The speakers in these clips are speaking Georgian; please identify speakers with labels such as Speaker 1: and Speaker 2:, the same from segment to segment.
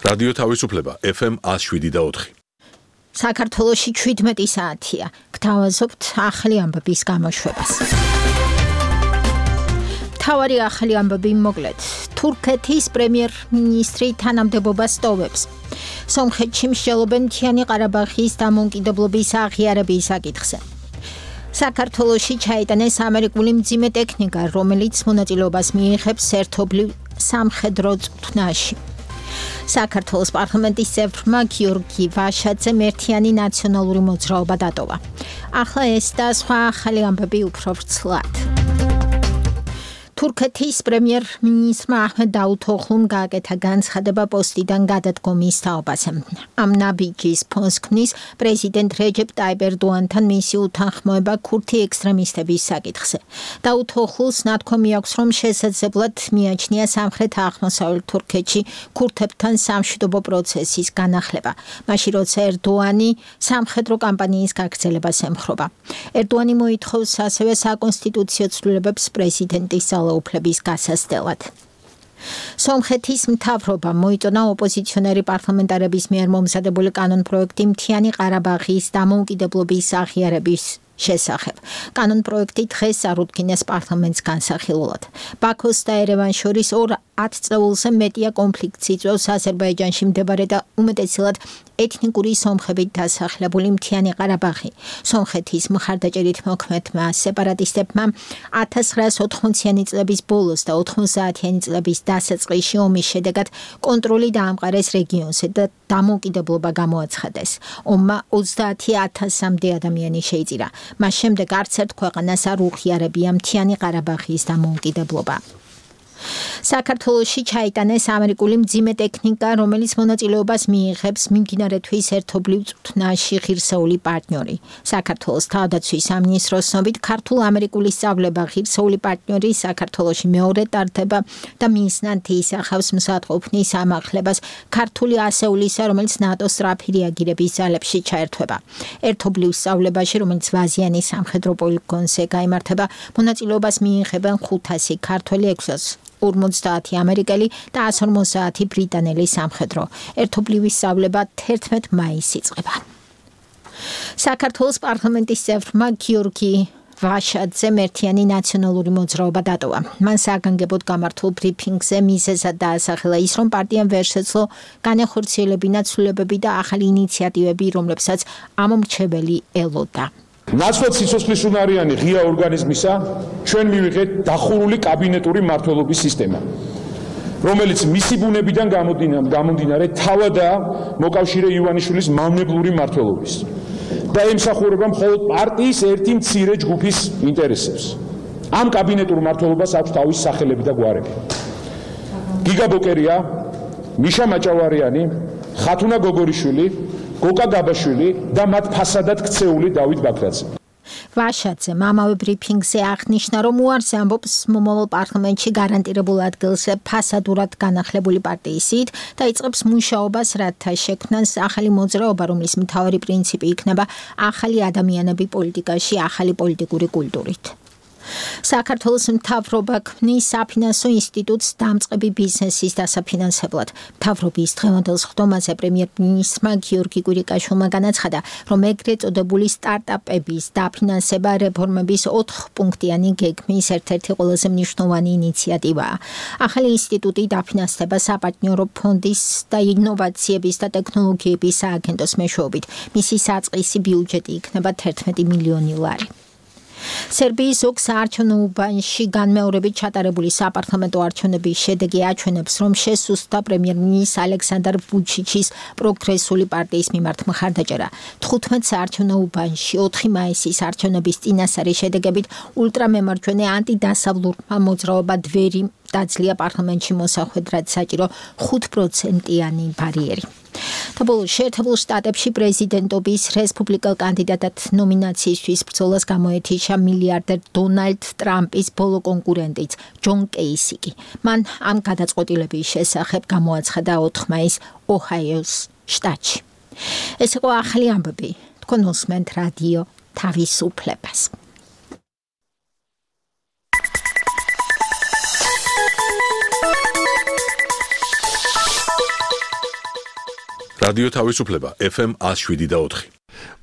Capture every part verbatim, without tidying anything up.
Speaker 1: რადიო თავისუფლება ეფ ემ one oh seven და four.
Speaker 2: საქართველოში seventeen საათია. გთავაზობთ ახალი ამბების გამოშვებას. მთავარი ახალი ამბები მოკლედ. თურქეთის პრემიერ-მინისტრი თანამდებობას ტოვებს. სომხეთში მსჯელობენ მთიანი ყარაბაღის დამოუკიდებლობის აღიარების საკითხზე. საქართველოში ჩაიტანეს ამერიკული მძიმე ტექნიკა, რომელიც მონაწილეობას მიიღებს ერთობლივ სამხედრო წვრთნაში. საქართველოს პარლამენტის წევრმა გიორგი ვაშაძემ ერთიანი ნაციონალური მოძრაობა დატოვა. ახლა ეს და სხვა ახალი ამბები უფრო ვრცლად. თურქეთის პრემიერ-მინისტრმა აჰმედ დაუთოღლუმ გააკეთა განცხადება პოსტიდან გადადგომის თაობაზე. ამ ნაბიჯის ფონს ქმნის პრეზიდენტ რეჯეპ ტაიპ ერდოანთან მისი უთანხმოება ქურთი ექსტრემისტების საკითხზე. დაუთოღლუს ნათქვამი აქვს, რომ შესაძლებლად მიაჩნია სამხრეთ-აღმოსავლეთ თურქეთში ქურთებთან სამშვიდობო პროცესის განახლება, მაშინ როცა ერდოანი სამხედრო კამპანიის გაგრძელებას ემხრობა. ერდოანი მოითხოვს ასევე საკონსტიტუციო ცვლილებებს პრეზიდენტის უფლების გასასწრად. სომხეთის მთავრობა მოიწონა ოპოზიციონერი პარლამენტარების მიერ მომზადებული კანონპროექტი მთიანი ყარაბაღის დამოუკიდებლობის აღიარების შესახებ. კანონპროექტი დღეს წარუდგინეს პარლამენტს განსახილულად. ბაქოს და ერევანს შორის ორ ათწლეულზე მეტია კონფლიქტს იწვევს აზერბაიჯანში მდებარე და უმეტესად ეთნიკური სომხებით დასახლებული მთიანი ყარაბაღი. სომხეთის მხარდაჭერით მოქმედმა სეპარატისტებმა one thousand nine hundred eighty წლების ბოლოს და ninety წლების დასაწყისში ომის შედეგად კონტროლი დაამყარეს რეგიონზე და დამოუკიდებლობა გამოაცხადეს. ომმა twenty-one thousand-მდე ადამიანი შეიწირა. მას შემდეგ არც ერთ ქვეყანას არ უღიარებია მთიანი ყარაბაღის დამოუკიდებლობა. საქართველოში ჩაიტანეს ამერიკული მძიმე ტექნიკა, რომელიც მონაწილეობას მიიღებს მიმდინარეთვის ერთობლივ წვრთნაში ღირსეული პარტნიორი. საქართველოს თავდაცვის სამინისტროს ცნობით, ქართულ-ამერიკული სწავლება ღირსეული პარტნიორი საქართველოში მეორე ტარდება და მიზნად ისახავს მზადყოფნის ამაღლებას ქართული ასეულისა, რომელიც ნატოს სწრაფი რეაგირების ძალებში ჩაერთვება. ერთობლივ სწავლებაში, რომელიც ვაზიანის სამხედრო პოლიგონზე გაიმართება, მონაწილეობას მიიღებენ ხუთასი ქართველი, ექვსი ორმოცდაათი ამერიკელი და one hundred fifty ბრიტანელი სამხედრო. ერთობლივი სწავლება eleventh მაისს იწყება. საქართველოს პარლამენტის წევრმა გიორგი ვაშაძემ ერთიანი ნაციონალური მოძრაობა დატოვა. მან საგანგებოდ გამართულ ბრიფინგზე მიზეზად დაასახელა ის, რომ პარტიამ ვერ შეძლო განეხორციელებინა ცვლილებები და ახალი ინიციატივები, რომლებსაც ამომრჩეველი ელოდა.
Speaker 3: ნაცვლად სიცოცხლის უნარიანი ღია ორგანიზმისა ჩვენ მივიღეთ დახურული კაბინეტური მმართველობის სისტემა, რომელიც მისი ბუნებიდან გამომდინარე თავადაა მოკავშირე ივანიშვილის მავნებლური მმართველობის და ემსახურება მხოლოდ პარტიის ერთი მცირე ჯგუფის ინტერესებს. ამ კაბინეტურ მმართველობას აქვს თავისი სახელები და გვარები. გიგა ბოკერია, მიშა მაჭავარიანი, ხათუნა გოგორიშვილი, გოკა გაბაშვილი და მათ ფასადად ქცეული დავით ბაქრაძე.
Speaker 2: ვაშაძემ ამავე ბრიფინგზე აღნიშნა, რომ უარს ამბობს მომავალ პარლამენტში გარანტირებულ ადგილზე ფასადურად განახლებული პარტიის სიით და იწყებს მუშაობას, რათა შექმნას ახალი მოძრაობა, რომლის მთავარი პრინციპი იქნება ახალი ადამიანები პოლიტიკაში, ახალი პოლიტიკური კულტურით. საქართველოს მთავრობა ქმნის საფინანსო ინსტიტუტს დამწყები ბიზნესის დასაფინანსებლად. მთავრობის დღევანდელ სხდომაზე პრემიერ-მინისტრმა გიორგი კვირიკაშვილმა განაცხადა, რომ ეგრეთ წოდებული სტარტაპების დაფინანსება რეფორმების ოთხპუნქტიანი გეგმის ერთ-ერთი ყველაზე მნიშვნელოვანი ინიციატივაა. ახალი ინსტიტუტი დაფინანსდება საპარტნიორო ფონდის და ინოვაციების და ტექნოლოგიების სააგენტოს მეშვეობით. მისი საწყისი ბიუჯეტი იქნება eleven მილიონი ლარი. სერბიის ზოგ საარჩევნო უბანში განმეორებით ჩატარებული საპარლამენტო არჩევნების შედეგი აჩვენებს, რომ შესუსტდა პრემიერ-მინისტრ ალექსანდრ ვუჩიჩის პროგრესული პარტიის მიმართ მხარდაჭერა. თხუთმეტ საარჩევნო უბანში ოთხი მაისის არჩევნების წინასწარი შედეგებით ულტრამემარჯვენე ანტიდასავლურმა მოძრაობა დვერი დაძლია პარლამენტში მოსახვედრად საჭირო ხუთ პროცენტიანი ბარიერი. და ბოლოს შეერთებულ შტატებში პრეზიდენტობის რესპუბლიკელ კანდიდატად ნომინაციისთვის ბრძოლას გამოეთიშა მილიარდერ დონალდ ტრამპის ბოლო კონკურენტიც ჯონ კეისიკი. მან ამ გადაწყვეტილების შესახებ გამოაცხადა ოთხ მაისს ოჰაიოს შტატში. ეს იყო ახალი ამბები. თქვენ უსმენთ რადიო თავისუფლებას.
Speaker 1: რადიო თავისუფლება ეფ ემ one oh seven point four.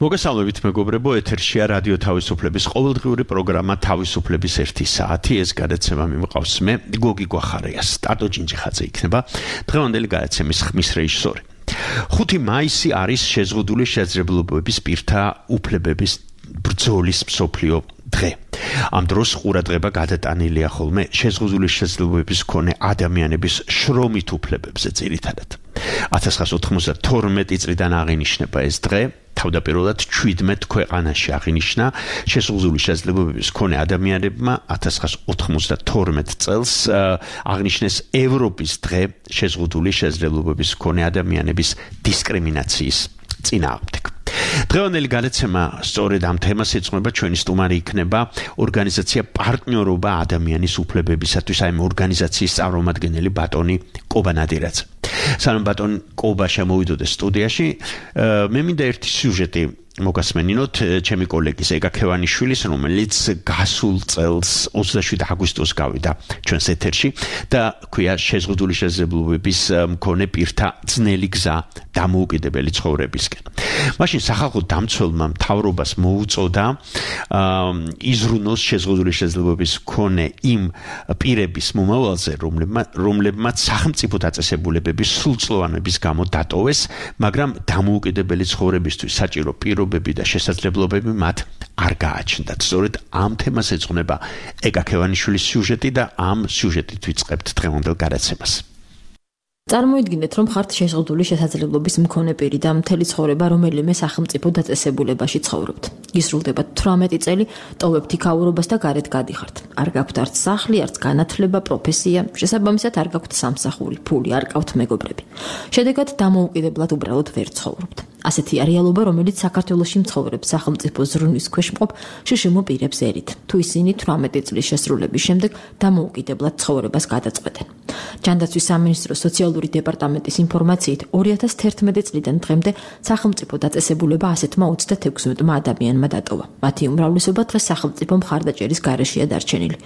Speaker 4: მოგესალმებით მეგობრებო, ეთერშია რადიო თავისუფლების ყოველდღიური პროგრამა თავისუფლების ერთი საათი. ეს გადაცემა მიმყავს მე, გოგი გვახარია. სტარტო ჯინჯიხაძე იქნება დღევანდელი გადაცემის ხმის რეჟისორი. ხუთი მაისი არის შეზღუდული შესაძლებლობების პირთა უფლებების ბრძოლის მსოფლიო დღე. ამ დროს ყურადღება გადატანილია ხოლმე შეზღუდული შესაძლებლობების მქონე ადამიანების შრომით უფლებებზე ძირითადად. one thousand nine hundred ninety-two წლიდან აღინიშნება ეს დღე. თავდაპირველად seventeen ქვეყანაში აღინიშნა შეზღუდული შესაძლებლობების მქონე ადამიანებმა one thousand nine hundred ninety-two წელს აღნიშნეს ევროპის დღე შეზღუდული შესაძლებლობების მქონე ადამიანების დისკრიმინაციის წინააღმდეგ. დღევანდელი გადაცემა სწორედ ამ თემას ეძღვნება. ჩვენი სტუმარი იქნება ორგანიზაცია პარტნიორობა ადამიანის უფლებებისათვის, აი ამ ორგანიზაციის წარმომადგენელი ბატონი კობა ნადირაძე. სანამ ბატონ კობა შემოვიდოდეს სტუდიაში, მე მინდა ერთი სიუჟეტი მოგასმენინოთ ჩემი კოლეგის ეგა ქევანიშვილის, რომელიც გასულ წელს ოცდაშვიდი აგვისტოს გავიდა ჩვენს ეთერში და ქვია შეზღუდული შესაძლებლობების მქონე პირთა ძნელი გზა დამოუკიდებელი ცხოვრებისკენ. მაშინ სახალხო დამცველმა მთავრობას მოუწოდა იზრუნოს შეზღუდული შესაძლებლობების მქონე იმ პირების მომავალზე, რომლებმაც სახელმწიფო დაწესებულებების სრულწლოვანების გამო დატოვეს, მაგრამ დამოუკიდებელი ცხოვრებისთვის საჭირო პირობები და შესაძლებლობები მათ არ გააჩნდათ. სწორედ ამ თემას ეძღვნება ეგა ქევანიშვილის სიუჟეტი და ამ სიუჟეტით ვიწყებთ დღევანდელ გადაცემას.
Speaker 5: წარმოიდგინეთ, რომ ხართ შეზღუდული შესაძლებლობის მქონე პირი და მთელი ცხოვრება რომელიმე სახელმწიფო დაწესებულებაში ცხოვრობთ. გისრულდება თვრამეტი წელი, ტოვებთ იქაურობას და გარეთ გადიხართ. არ გაქვთ არც სახლი, არც განათლება, პროფესია, შესაბამისად არ გაქვთ სამსახური, ფული, არ გაქვთ მეგობრები. შედეგად დამოუკიდებლად უბრალოდ ვერ ცხოვრობთ. ასეთია რეალობა, რომელიც საქართველოში მცხოვრებ სახელმწიფო ზრუნვის ქვეშ მყოფ შშმ პირებს ერით, თუ ისინი თვრამეტი წლის შესრულების შემდეგ დამოუკიდებლად ცხოვრებას გადაწყვეტენ. ჯანდაცვის სამინისტროს სოციალური დეპარტამენტის ინფორმაციით ორი ათას თერთმეტი წლიდან დღემდე სახელმწიფო დაწესებულება ასეთმა ოცდათექვსმეტმა ადამიანმა დატოვა. მათი უმრავლესობა დღეს სახელმწიფო მხარდაჭერის გარეშეა დარჩენილი.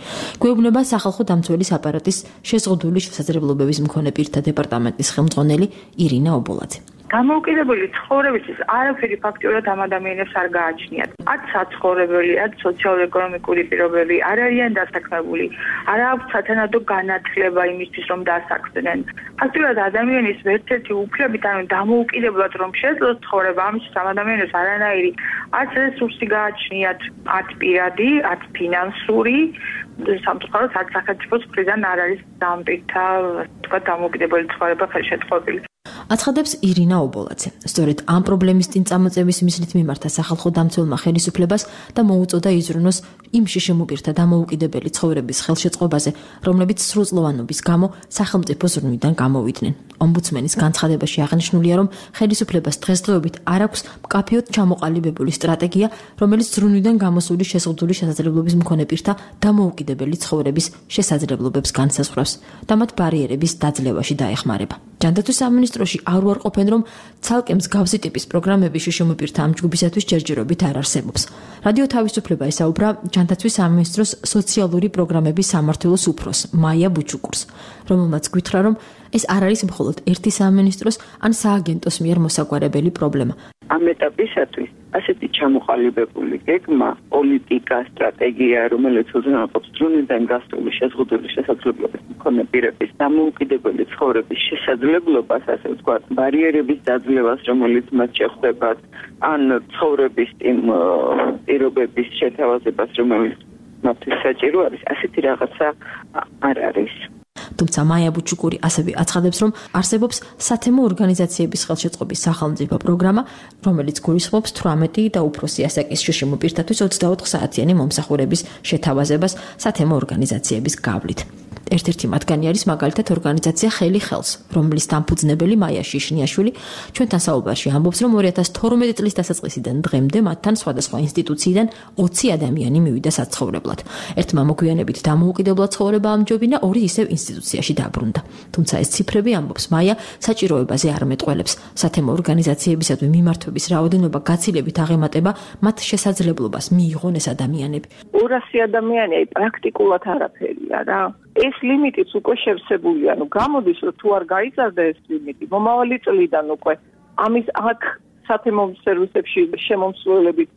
Speaker 5: გვეუბნება სახალხო დამცველის აპარატის შეზღუდული შესაძლებლობების მქონე პირთა დეპარტამენტის ხელმძღვანელი ირინა ობოლაძე.
Speaker 6: დამოუკიდებელი ცხოვრებისთვის არაფერი ფაქტიურად ამ ადამიანებს არ გააჩნიათ. ათ საცხოვრებელი, ათ სოციალურ-ეკონომიკური პირობები, არ არიან დასაქმებული, არ აქვს სათანადო განათლება იმისთვის, რომ დასაქმდნენ. ფაქტიურად ადამიანის ერთ-ერთი უფლებით, ანუ დამოუკიდებლად რომ შეძლოს ცხოვრება, ამისთვის ამ ადამიანებს არანაირი ათ რესურსი გააჩნიათ, ათ პირადი, ათ ფინანსური, სამწუხაროდ ათ სახელმწიფოს მხრიდან არ არის ამ პირთა, თქვა, დამოუკიდებელი ცხოვრება ხელშეწყობილი.
Speaker 5: აცხადებს ირინა ობოლაძე. სწორედ ამ პრობლემის წინ წამოწევის მიზნით მიმართა სახალხო დამცველმა ხელისუფლებას და მოუწოდა იზრუნოს იმ შშმ პირთა დამოუკიდებელი ცხოვრების ხელშეწყობაზე, რომლებიც სრულწლოვანობის გამო სახელმწიფო ზრუნვიდან გამოვიდნენ. ომბუდსმენის განცხადებაში აღნიშნულია, რომ ხელისუფლებას დღესდღეობით არ აქვს მკაფიოდ ჩამოყალიბებული სტრატეგია, რომელიც ზრუნვიდან გამოსული შეზღუდული შესაძლებლობის მქონე პირთა დამოუკიდებელი ცხოვრების შესაძლებლობებს განსაზღვრავს და მათ ბარიერების დაძლევაში დაეხმარება. ჯანდაცვის სამინისტროში არ უარყოფენ, რომ ცალკე მსგავსი ტიპის პროგრამები შშმ პირთა ამ ჯგუფისათვის ჯერჯერობით არ არსებობს. რადიო თავისუფლება ესაუბრა ჯანდაცვის სამინისტროს სოციალური პროგრამების სამმართველოს უფროს მაია ბუჩუკურს, რომელმაც გითხრა, რომ ეს არ არის მხოლოდ ერთი სამინისტროს ან სააგენტოს მიერ მოსაგვარებელი პრობლემა.
Speaker 7: ამ ეტაპისათვის ასეთი ჩამოყალიბებული გეგმა, პოლიტიკა, სტრატეგია, რომელიც უზრუნველყოფს ზრუნვიდან გასული შეზღუდული შესაძლებლობის მქონე პირების დამოუკიდებელი ცხოვრების შესაძლებლობას, ასე ვთქვათ, ბარიერების დაძლევას, რომელიც მათ შეხვდებათ, ან ცხოვრების იმ პირობების შეთავაზებას, რომელიც მათთვის საჭირო არის, ასეთი რაღაცა არ არის.
Speaker 5: თუმცა მაია ბუჩუკური ასევე აცხადებს, რომ არსებობს სათემო ორგანიზაციების ხელშეწყობის სახელმწიფო პროგრამა, რომელიც გულისხმობს თვრამეტი და უფროსი ასაკის შშმ პირთათვის ოცდაოთხ საათიანი მომსახურების შეთავაზებას სათემო ორგანიზაციების გავლით. ერთ-ერთი მათგანი არის მაგალითად ორგანიზაცია ხელი ხელს, რომლის დამფუძნებელი მაია შიშნიაშვილი ჩვენთან საუბარში ამბობს, რომ ორი ათას თორმეტი წლის დასაწყისიდან დღემდე მათთან სხვადასხვა ინსტიტუციიდან ოცი ადამიანი მივიდა საცხოვრებლად. ერთმა მოგვიანებით დამოუკიდებლად ცხოვრება ამჯობინა, ორი ისევ ინსტიტუციაში დაბრუნდა. თუმცა ეს ციფრები, ამბობს მაია, საჭიროებაზე არ მეტყველებს. სათემო ორგანიზაციებისადმი მიმართვების რაოდენობა გაცილებით აღემატება მათ შესაძლებლობას მიიღონ ეს ადამიანები.
Speaker 7: ორასი ადამიანი აი პრაქტიკულად არაფერია რა. ეს ლიმიტიც უკვე შევსებულია, ну გამოდის რომ თუ არ გაიზარდა ეს ლიმიტი, მომავალი წლიდან უკვე ამის აქ სათემო სერვისებში შემომსვლელებით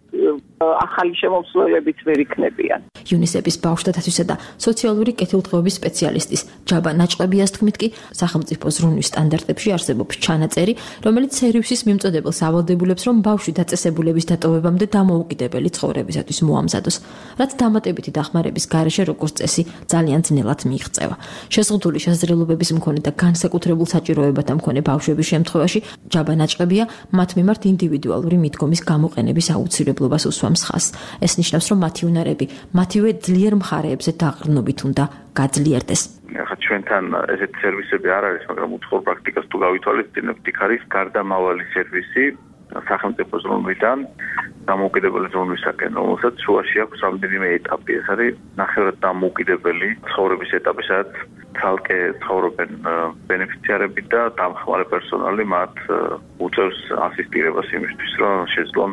Speaker 7: ახალი შემომსვლელებით ვერ იქნებიან.
Speaker 5: იუნისეფის ბავშვთა დაცვისა და სოციალური კეთილდღეობის სპეციალისტის ჯაბა ნაჭყებიას თქმით კი სახელმწიფო ზრუნვის სტანდარტებში არსებობს ჩანაწერი, რომელიც სერვისის მიმწოდებელს ავალდებულებს, რომ ბავშვი დაწესებულების დატოვებამდე დამოუკიდებელი ცხოვრებისათვის მოამზადოს, რაც დამატებითი დახმარების გარეშე როგორც წესი ძალიან ძნელად მიიღწევა. შეზღუდული შესაძლებლობების მქონე და განსაკუთრებულ საჭიროებათა მქონე ბავშვების შემთხვევაში ჯაბა ნაჭყებია მათ მიმართ ინდივიდუალური მიდგომის გამოყენების აუცილებლობას უსვამს ხაზს. ეს ნიშნავს, რომ მათი უნარები მათივე ძლიერ მხარეებზე დაყრდნობით უნდა გაძლიერდეს.
Speaker 8: ახლა ჩვენთან ესეთი სერვისები არ არის, მაგრამ უცხოურ პრაქტიკას თუ გავითვალისწინებთ, იქ არის გარდამავალი სერვისი სახელმწიფო ზრუნვიდან დამოუკიდებელი ზრუნვისაკენ, რომელსაც შუაში აქვს რამდენიმე ეტაპი. ეს არის ნახევრად დამოუკიდებელი ცხოვრების ეტაპი, სადაც ცალკე ცხოვრობენ ბენეფიციარები და დამხმარე პერსონალი მათ უწევს ასისტირებას იმისთვის, რომ შეძლონ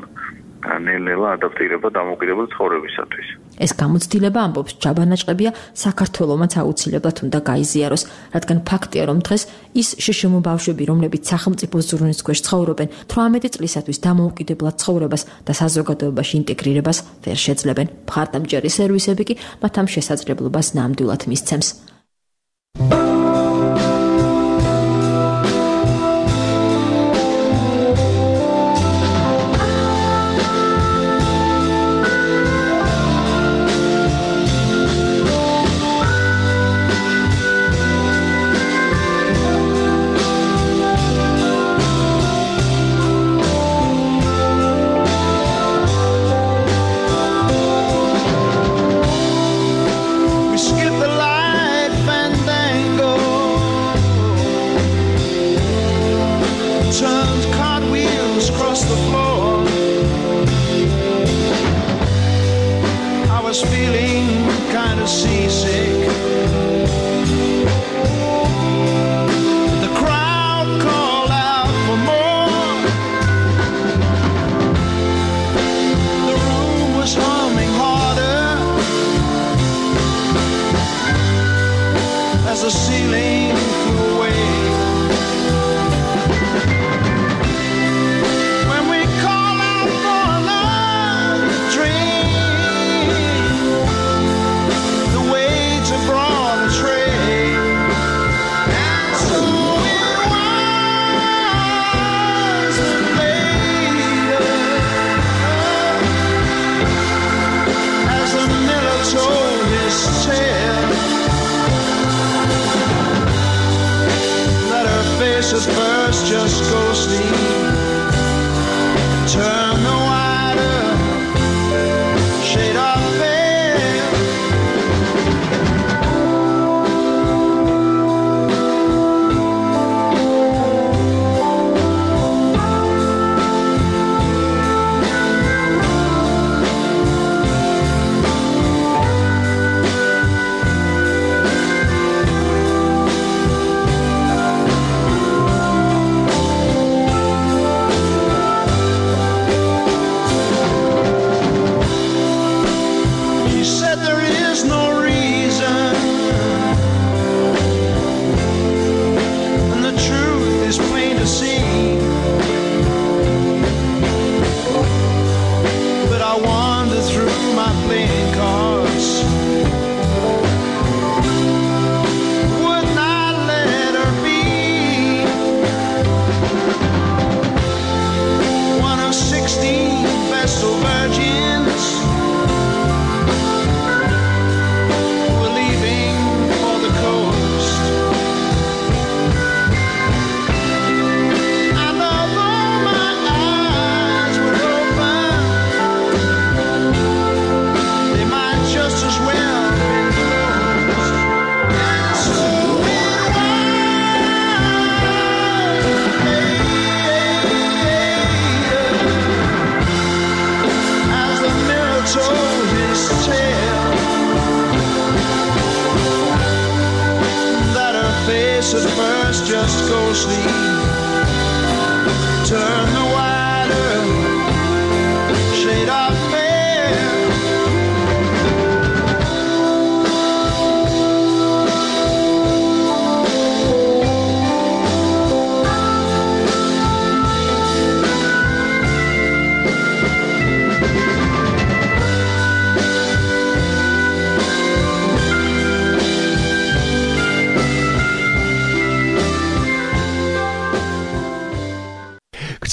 Speaker 8: ნელ-ნელა ადაპტირება დამოუკიდებელი ცხოვრებისათვის.
Speaker 5: ეს გამოცდილება ამბობს ჯაბა ნაჭყებია საქართველომაც აუცილებლად უნდა გაიზიაროს, რადგან ფაქტია, რომ დღეს ის შშმ ბავშვები, რომლებიც სახელმწიფო ზრუნვის ქვეშ ცხოვრობენ, თვრამეტი წლისათვის დამოუკიდებლად ცხოვრებას და საზოგადოებაში ინტეგრირებას ვერ შეძლებენ. მხარდამჭერი სერვისები კი მათ ამ შესაძლებლობას ნამდვილად მისცემს.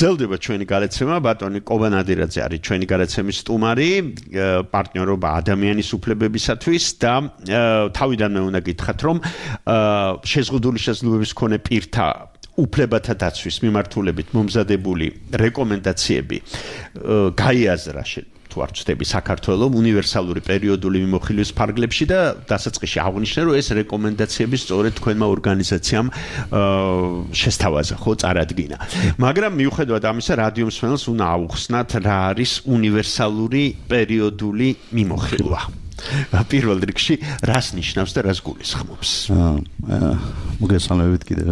Speaker 4: გრძელდება ჩვენი გადაცემა, ბატონი კობანადირაძე არის ჩვენი გადაცემის სტუმარი, პარტნიორობა ადამიანის უფლებებისათვის და თავიდანვე უნდა გითხრათ, რომ შეზღუდული შესაძლებლობის მქონე პირთა უფლებათა დაცვის მიმართულებით მომზადებული რეკომენდაციები გაიაზრა თუ არ ვცდები საქართველოს უნივერსალური პერიოდული მიმოხილვის ფარგლებში და დასაწყისში აღნიშნა რომ ეს რეკომენდაციები სწორედ თქვენმა ორგანიზაციამ შესთავაზა ხო წარადგინა მაგრამ მიუხედავად ამისა რადიო მსმენელს უნდა აუხსნათ რა არის უნივერსალური პერიოდული მიმოხილვა პირველ რიგში რას ნიშნავს და რას გულისხმობს
Speaker 9: აა მოგესალმებით კიდევ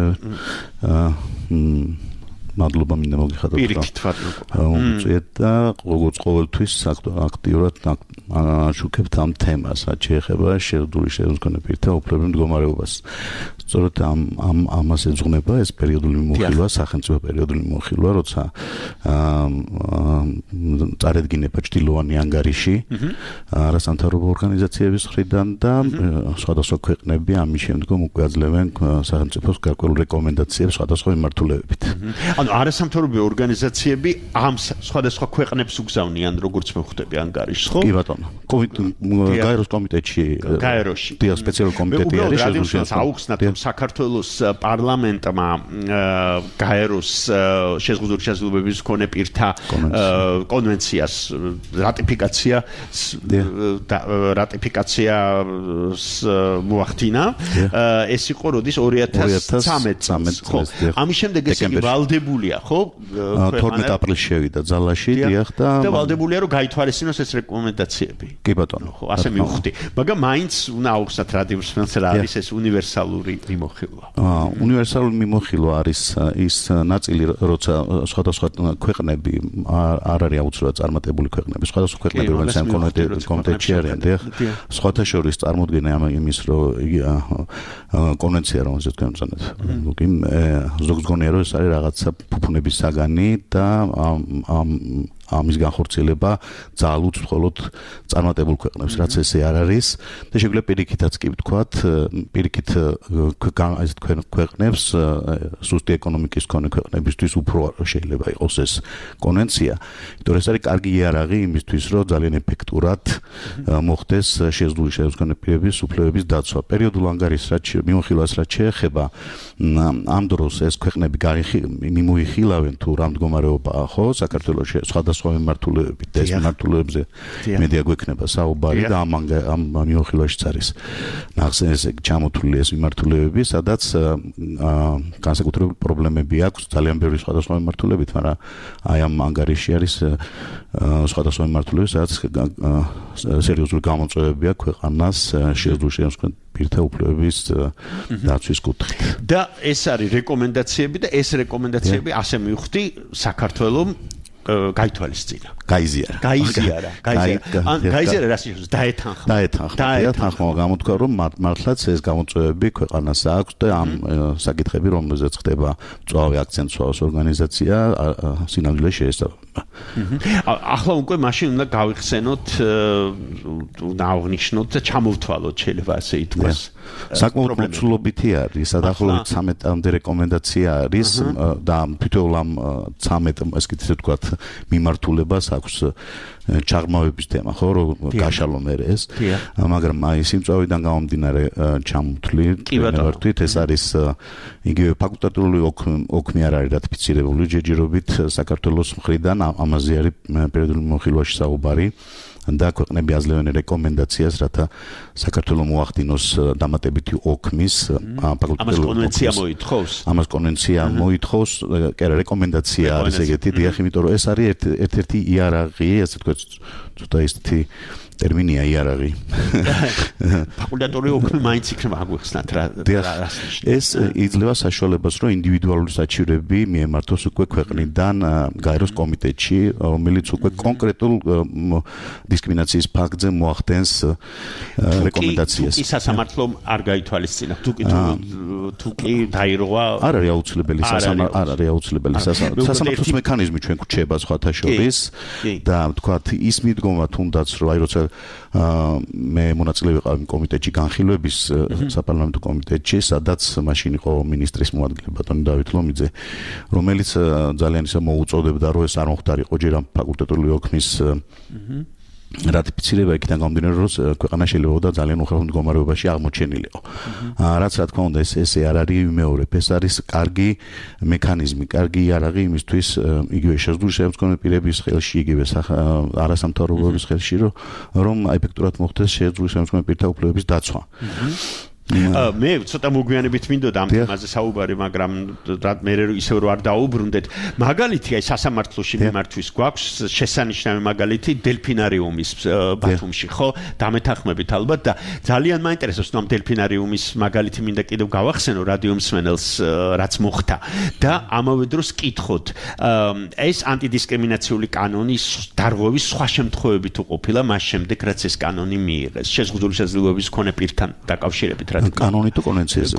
Speaker 9: აა მადლობა მინდა მოგიხადოთ რომ უწიეთ და როგორც ყოველთვის აქტიურად შუქებთ ამ თემას რაც შეეხება შეზღუდული შესაძლებლობის პირთა უფლებების მდგომარეობას სწორედ ამ ამ ამას ეძღვნება ეს პერიოდული მიმოხილვა სახელმწიფო პერიოდული მიმოხილვა როცა წარედგინება ჭtildeოვანი ანგარიში არასამთავრობო ორგანიზაციების მხრიდან და სხვადასხვა ქვეყნები ამის შემდგომ უკვე აძლევენ სახელმწიფოს გარკვეულ რეკომენდაციებს სხვადასხვა მიმართულებებით
Speaker 4: ანუ არასამთავრობო ორგანიზაციები ამ სხვადასხვა ქვეყნებს უგზავნიან როგორც მე ხვდები ანგარიშს ხო?
Speaker 9: კი ბატონო. გაეროს კომიტეტში
Speaker 4: გაეროში
Speaker 9: დიახ სპეციალური კომიტეტი არის
Speaker 4: შესაძლოა აუხსნათ რომ საქართველოს პარლამენტმა გაეროს შეზღუდული შესაძლებლობის მქონე პირთა კონვენციას რატიფიკაცია რატიფიკაციას მოახდინა ეს იყო როდის ორი ათას წამეტ ხო ამის შემდეგ ეს იგი ვალდებულია ხო
Speaker 9: თორმეტ აპრილში შევიდა ძალაში დიახ და
Speaker 4: და ვალდებულია რომ გაითვალისწინოს ეს რეკომენდაციები
Speaker 9: კი ბატონო
Speaker 4: ხო ასე მივხვდი მაგრამ მაინც უნდა აუხსნათ რადიო მსმენელს რა არის ეს უნივერსალური მიმოხილვა
Speaker 9: აა უნივერსალური მიმოხილვა არის ის ნაწილი როცა სხვადასხვა ქვეყნები არ არის აუცილებლად წარმატებული ქვეყნები სხვადასხვა ქვეყნები რომელიც ამ კომიტეტში არიან დიახ სხვათა შორის წარმოდგენა იმის რომ კონვენცია რომელზეც თქვენ ვწანეთ კი ზოგს გონია რომ ეს არის რაღაცა ფუფუნების საგანი და ამ ამის განხორციელება ძალუც მხოლოდ წარმატებულ ქვეყნებს რაც ესე არ არის და შეგვიძლია პირიქითაც კი ვთქვათ პირიქით ეს თქვენ ქვეყნებს სუსტი ეკონომიკის მქონე ქვეყნებისთვის უფრო შეიძლება იყოს ეს კონვენცია იმიტომ რომ ეს არის კარგი იარაღი იმისთვის რომ ძალიან ეფექტურად მოხდეს შეზღუდული შესაძლებლობის უფლებების დაცვა პერიოდულ ანგარიშს რაც მიმოხილვას რაც შეეხება ამ დროს ეს ქვეყნები მიმოიხილავენ თუ რა მდგომარეობაა ხო საქართველოს სხვადასხვა მიმართულებებით და ეს მიმართულებებზე მედია გვექნება საუბარი და ამ ამ მიმოხილვაშიც არის ნახსენე ესე ჩამოთვლილი ეს მიმართულებები სადაც განსაკუთრებული პრობლემები აქვს ძალიან ბევრი სხვადასხვა მიმართულებით მაგრამ აი ამ ანგარიში არის სხვადასხვა მიმართულებით სადაც სერიოზული გამოწვევები აქვს ქვეყანას შეზღუდული შესაძლებლობის პირთა უფლებების დაცვის კუთხით
Speaker 4: და ეს არის რეკომენდაციები და ეს რეკომენდაციები ასე მივხვდი საქართველოს გაითვალისწინა
Speaker 9: გაიზიარა
Speaker 4: გაიზიარა გაიზიარა ან გაიზიარა რა შეიძლება დაეთანხმა
Speaker 9: დაეთანხმა დაეთანხმა გამოთქვა რომ მართლაც ეს გამოწვევები ქვეყანას აქვს და ამ საკითხები რომელზეც ხდება მწვავე აქცენტს სვავს ორგანიზაცია სინამდვილეში შეესაბამება
Speaker 4: ახლა უკვე მაშინ უნდა გავიხსენოთ უნდა აღვნიშნოთ და ჩამოვთვალოთ შეიძლება ასე ითქვას
Speaker 9: საკმაოდ მოცულობითი არის დაახლოებით ცამეტამდე რეკომენდაცია არის და თითოეულ ამ ცამეტ ესე ვთქვათ მიმართულებას აქვს ჩაღრმავების თემა ხო რომ გაშალო მე ეს მაგრამ აი სიმწვავიდან გამომდინარე ჩამოთვლი ვერთვით ეს არის იგივე ფაკულტატიური ოქმი არ არის რატიფიცირებული ჯერჯერობით საქართველოს მხრიდან ამაზე არის პერიოდული მიმოხილვაში საუბარი და ქვეყნები აძლევენ რეკომენდაციას რათა საქართველოს მოახდინოს დამატებითი ოქმის
Speaker 4: ფაკულტატიური კონვენცია მოითხოვს
Speaker 9: ამას კონვენცია მოითხოვს კი არა რეკომენდაცია არის ეგეთი დიახ იმიტომ რომ ეს არის ერთ-ერთი იარაღი ასე თქვა ცოტა ისეთი ტერმინია იარაღი
Speaker 4: ფაკულტატიური ოქმი მაინც იქნება აგვიხსნათ რა
Speaker 9: ეს იძლევა საშუალებას რომ ინდივიდუალური საჩივრები მიემართოს უკვე ქვეყნიდან გაეროს კომიტეტში რომელიც უკვე კონკრეტულ დისკრიმინაციის ფაქტზე მოახდენს რეკომენდაციას
Speaker 4: ის სასამართლო არ გაითვალისწინა თუ კი თუ კი დაირღვა
Speaker 9: არ არის აუცილებელი სასამართლო არ არის აუცილებელი სასამართლოს მექანიზმი ჩვენ გვჩება სხვათა შორის და ვთქვათ ის მიდგომა თუნდაც რომ აი როცა მე მონაწილე ვიყავი კომიტეტში განხილვების საპარლამენტო კომიტეტში, სადაც მაშინ იყო მინისტრის მოადგილე ბატონი დავით ლომიძე, რომელიც ძალიან ისე მოუწოდებდა, რომ ეს არ მოხდარიყო ჯერ ამ ფაკულტატური ოქმის რატიფიცირება იქიდან გამომდინარე, რომ ქვეყანა შეიძლება და ძალიან უხერხო მდგომარეობაში აღმოჩენილიყო. რაც რა თქმა უნდა ეს ესე არ არის ვიმეორებ, ეს არის კარგი მექანიზმი, კარგი იარაღი იმისთვის, იგივე შეზღუდული შემდგომი პირების ხელში, იგივე არასამთავრობოების ხელში, რომ ეფექტურად მოხდეს შეზღუდული შემდგომი პირთა უფლებების დაცვა.
Speaker 4: მე ცოტა მოგვიანებით მინდოდა ამ თემაზე საუბარი, მაგრამ მე ისევ რო არ დაუბრუნდეთ. მაგალითი აი სასამართლოში მიმართვის გვაქვს შესანიშნავი მაგალითი დელფინარიუმის ბათუმში, ხო? დამეთანხმებით ალბათ და ძალიან მაინტერესებს ამ დელფინარიუმის მაგალითი მინდა კიდევ გავახსენო რადიო მსმენელს რაც მოხდა და ამავე დროს კითხოთ ეს ანტიდისკრიმინაციული კანონის დარღვევის სხვა შემთხვევებით უყოფილა მას შემდეგ რაც ეს კანონი მიიღეს შეზღუდული შესაძლებლობის მქონე პირთან დაკავშირებით
Speaker 9: კანონი თუ კონვენციაზე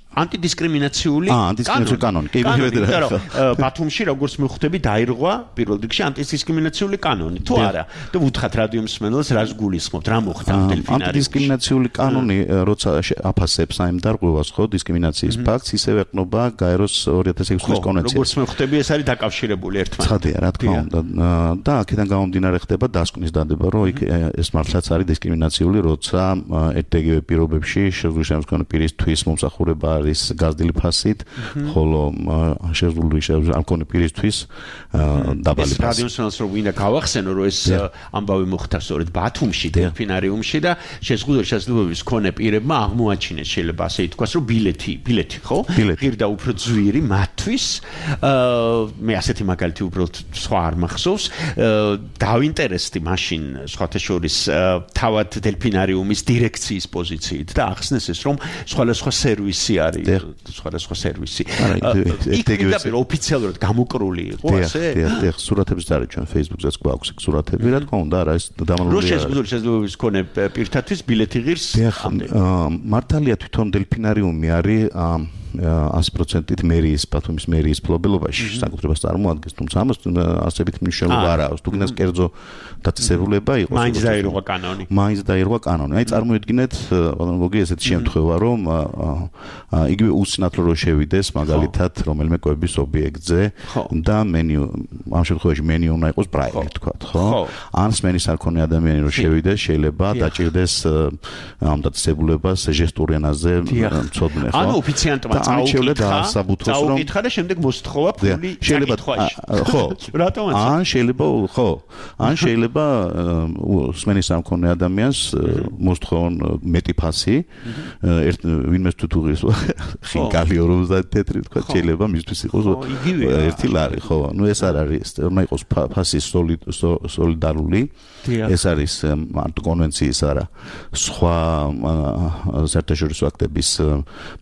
Speaker 4: ანტიდისკრიმინაციული
Speaker 9: ანტიდისკრიმინაციული კანონი. კი,
Speaker 4: მიხედავთ. ბათუმში როგორც მივხვდები, დაირღვა პირველ რიგში ანტიდისკრიმინაციული კანონი. თუ არა, და ვუთხრათ რადიო მსმენელს რას გულისხმობთ, რა მოხდა ამ დელფინარიუმში.
Speaker 9: ანტიდისკრიმინაციული კანონი, როცა აფასებს აი დარღვევას, ხო, დისკრიმინაციის ფაქტს, ისევე ეყნობა გაეროს ორი ათას ექვსი წლის კონვენციას.
Speaker 4: როგორც მივხვდები, ეს არის დაკავშირებული ერთმანეთთან.
Speaker 9: ხადია, რა თქმა უნდა. და აქედან გამომდინარე ხდება დასკვნის დადება, რომ იქ ეს მართლაც არის დისკრიმინაციული, როცა ერთ-ეგივე პირობებში შეზღუდული შემდგომი პირისთვის მომსახურება არის გაზრდილი ფასით, ხოლო შეზღუდული ამ კონე პირისთვის დაბალი ფასი.
Speaker 4: რადიო მსმენელს რომ ვინდა გავახსენო, რომ ეს ამბავი მოხდა სწორედ ბათუმში, დელფინარიუმში და შეზღუდული შესაძლებლობის მქონე პირებმა აღმოაჩინეს, შეიძლება ასე ითქვას, რომ ბილეთი, ბილეთი, ხო? ღირდა უფრო ძვირი მათთვის. მე ასეთი მაგალითი უბრალოდ სხვა არ მახსოვს. დავინტერესდი მაშინ სხვათა შორის თავად დელფინარიუმის დირექციის პოზიციით და ახსნეს ეს, რომ სხვადასხვა სერვისი არის, სხვადასხვა სერვისი. იქ პირდაპირ ოფიციალურად გამოკრული იყო ასე?
Speaker 9: დიახ, დიახ, სურათებიც არის ჩვენ Facebook-ზეც გვაქვს იქ სურათები, რა თქმა უნდა, არა ეს დამალული.
Speaker 4: რო შეზღუდული შესაძლებლობის მქონე პირთათვის ბილეთი ღირს.
Speaker 9: დიახ, მართალია თვითონ დელფინარიუმი არის ასი პროცენტით მერიის, ბათუმის მერიის ფლობელობაში საკუთრებას წარმოადგენს, თუმცა ამას ასებით მნიშვნელობა არ აქვს. თუ გინდას კერძო დაწესებულება იყოს.
Speaker 4: მაინც დაირღვა კანონი.
Speaker 9: მაინც დაირღვა კანონი. აი წარმოიდგინეთ, ბატონო ესეთი შემთხვევა, რომ იგივე უსინათლო რო შევიდეს მაგალითად რომელიმე კვების ობიექტზე და მენიუ ამ შემთხვევაში მენიუ უნდა იყოს პრაივეტ, თქვათ, ხო? ან სმენის არ ქონე ადამიანი რო შევიდეს, შეიძლება დაჭირდეს ამ დაწესებულებას ჟესტურ ენაზე მცოდნე, ხო?
Speaker 4: ანუ ოფიციანტმა წაუკითხა და შემდეგ მოსთხოვა ფული
Speaker 9: წაკითხვაში. ხო.
Speaker 4: რატომაც?
Speaker 9: ან შეიძლება, ხო. ან შეიძლება სმენის არ მქონე ადამიანს მოსთხოვონ მეტი ფასი, ერთ ვინმეს თუ თუღის ხინკალი ორმოცდაათი თეთრი, თქვა, შეიძლება მისთვის იყოს ერთი ლარი, ხო? ნუ ეს არ არის, უნდა იყოს ფასი სოლიდარული. ეს არის მარტო კონვენციის არა, სხვა საერთაშორისო აქტების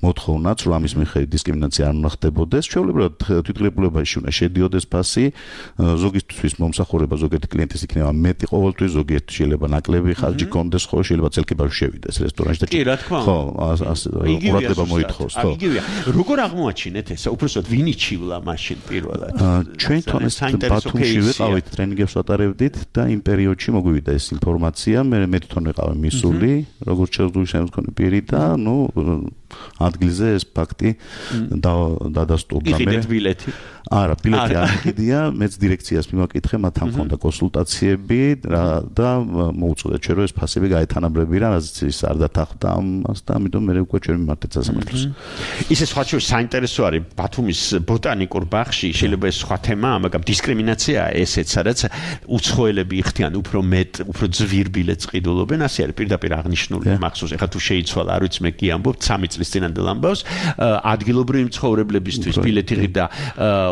Speaker 9: მოთხოვნაც, რომ ამის მიხედვით დისკრიმინაცია არ უნდა ხდებოდეს. ჩვეულებრივად თვითგრებულებაში უნდა შედიოდეს ფასი, ზოგისთვის მომსახურება ზოგიერთი კლიენტის იქნება მეტი ყოველთვის, ზოგიერთი შეიძლება ნაკლები ხარჯი კონდეს, ხო, შეიძლება წელკებაში შევიდეს რესტორანში და
Speaker 4: კი, რა თქმა უნდა.
Speaker 9: ხო, ყურადღება მოითხოვს, ხო.
Speaker 4: იგივეა. როგორ აღმოაჩინეთ ესა? უბრალოდ ვინ იჩივლა მაშინ პირველად?
Speaker 9: ჩვენ თვითონ ეს ბათუმში ვიყავით, ტრენინგებს ვატარებდით და იმ პერიოდში მოგვივიდა ეს ინფორმაცია, მე მე თვითონ ვიყავი მისული, როგორც შეზღუდული შემდგომი პირი და ნუ ადგილზე ეს ფაქტი დადასტურდა მე.
Speaker 4: იყიდეთ ბილეთი?
Speaker 9: არა, ბილეთი არ იყიდია, მეც დირექციას მიმაკითხე, მათთან მქონდა კონსულტაციები და მოუწოდეთ ჩვენ რომ ეს ფასები გაეთანაბრები რა, რაც ის არ დათანხმდა ამას და ამიტომ მე უკვე ჩვენ მიმართეთ სასამართლოს.
Speaker 4: ისე სხვა შორის საინტერესო არის ბათუმის ბოტანიკურ ბაღში, შეიძლება ეს სხვა თემაა, მაგრამ დისკრიმინაციაა ესეც, სადაც უცხოელები იხდიან უფრო მეტ, უფრო ძვირ ბილეთს ყიდულობენ, ასე არის პირდაპირ აღნიშნული მახსოვს. ეხლა თუ შეიცვალა, არ ვიცი მე კი ამბობ სამი წლის წინანდელ ამბავს, ადგილობრივი მცხოვრებლებისთვის ბილეთი ღირდა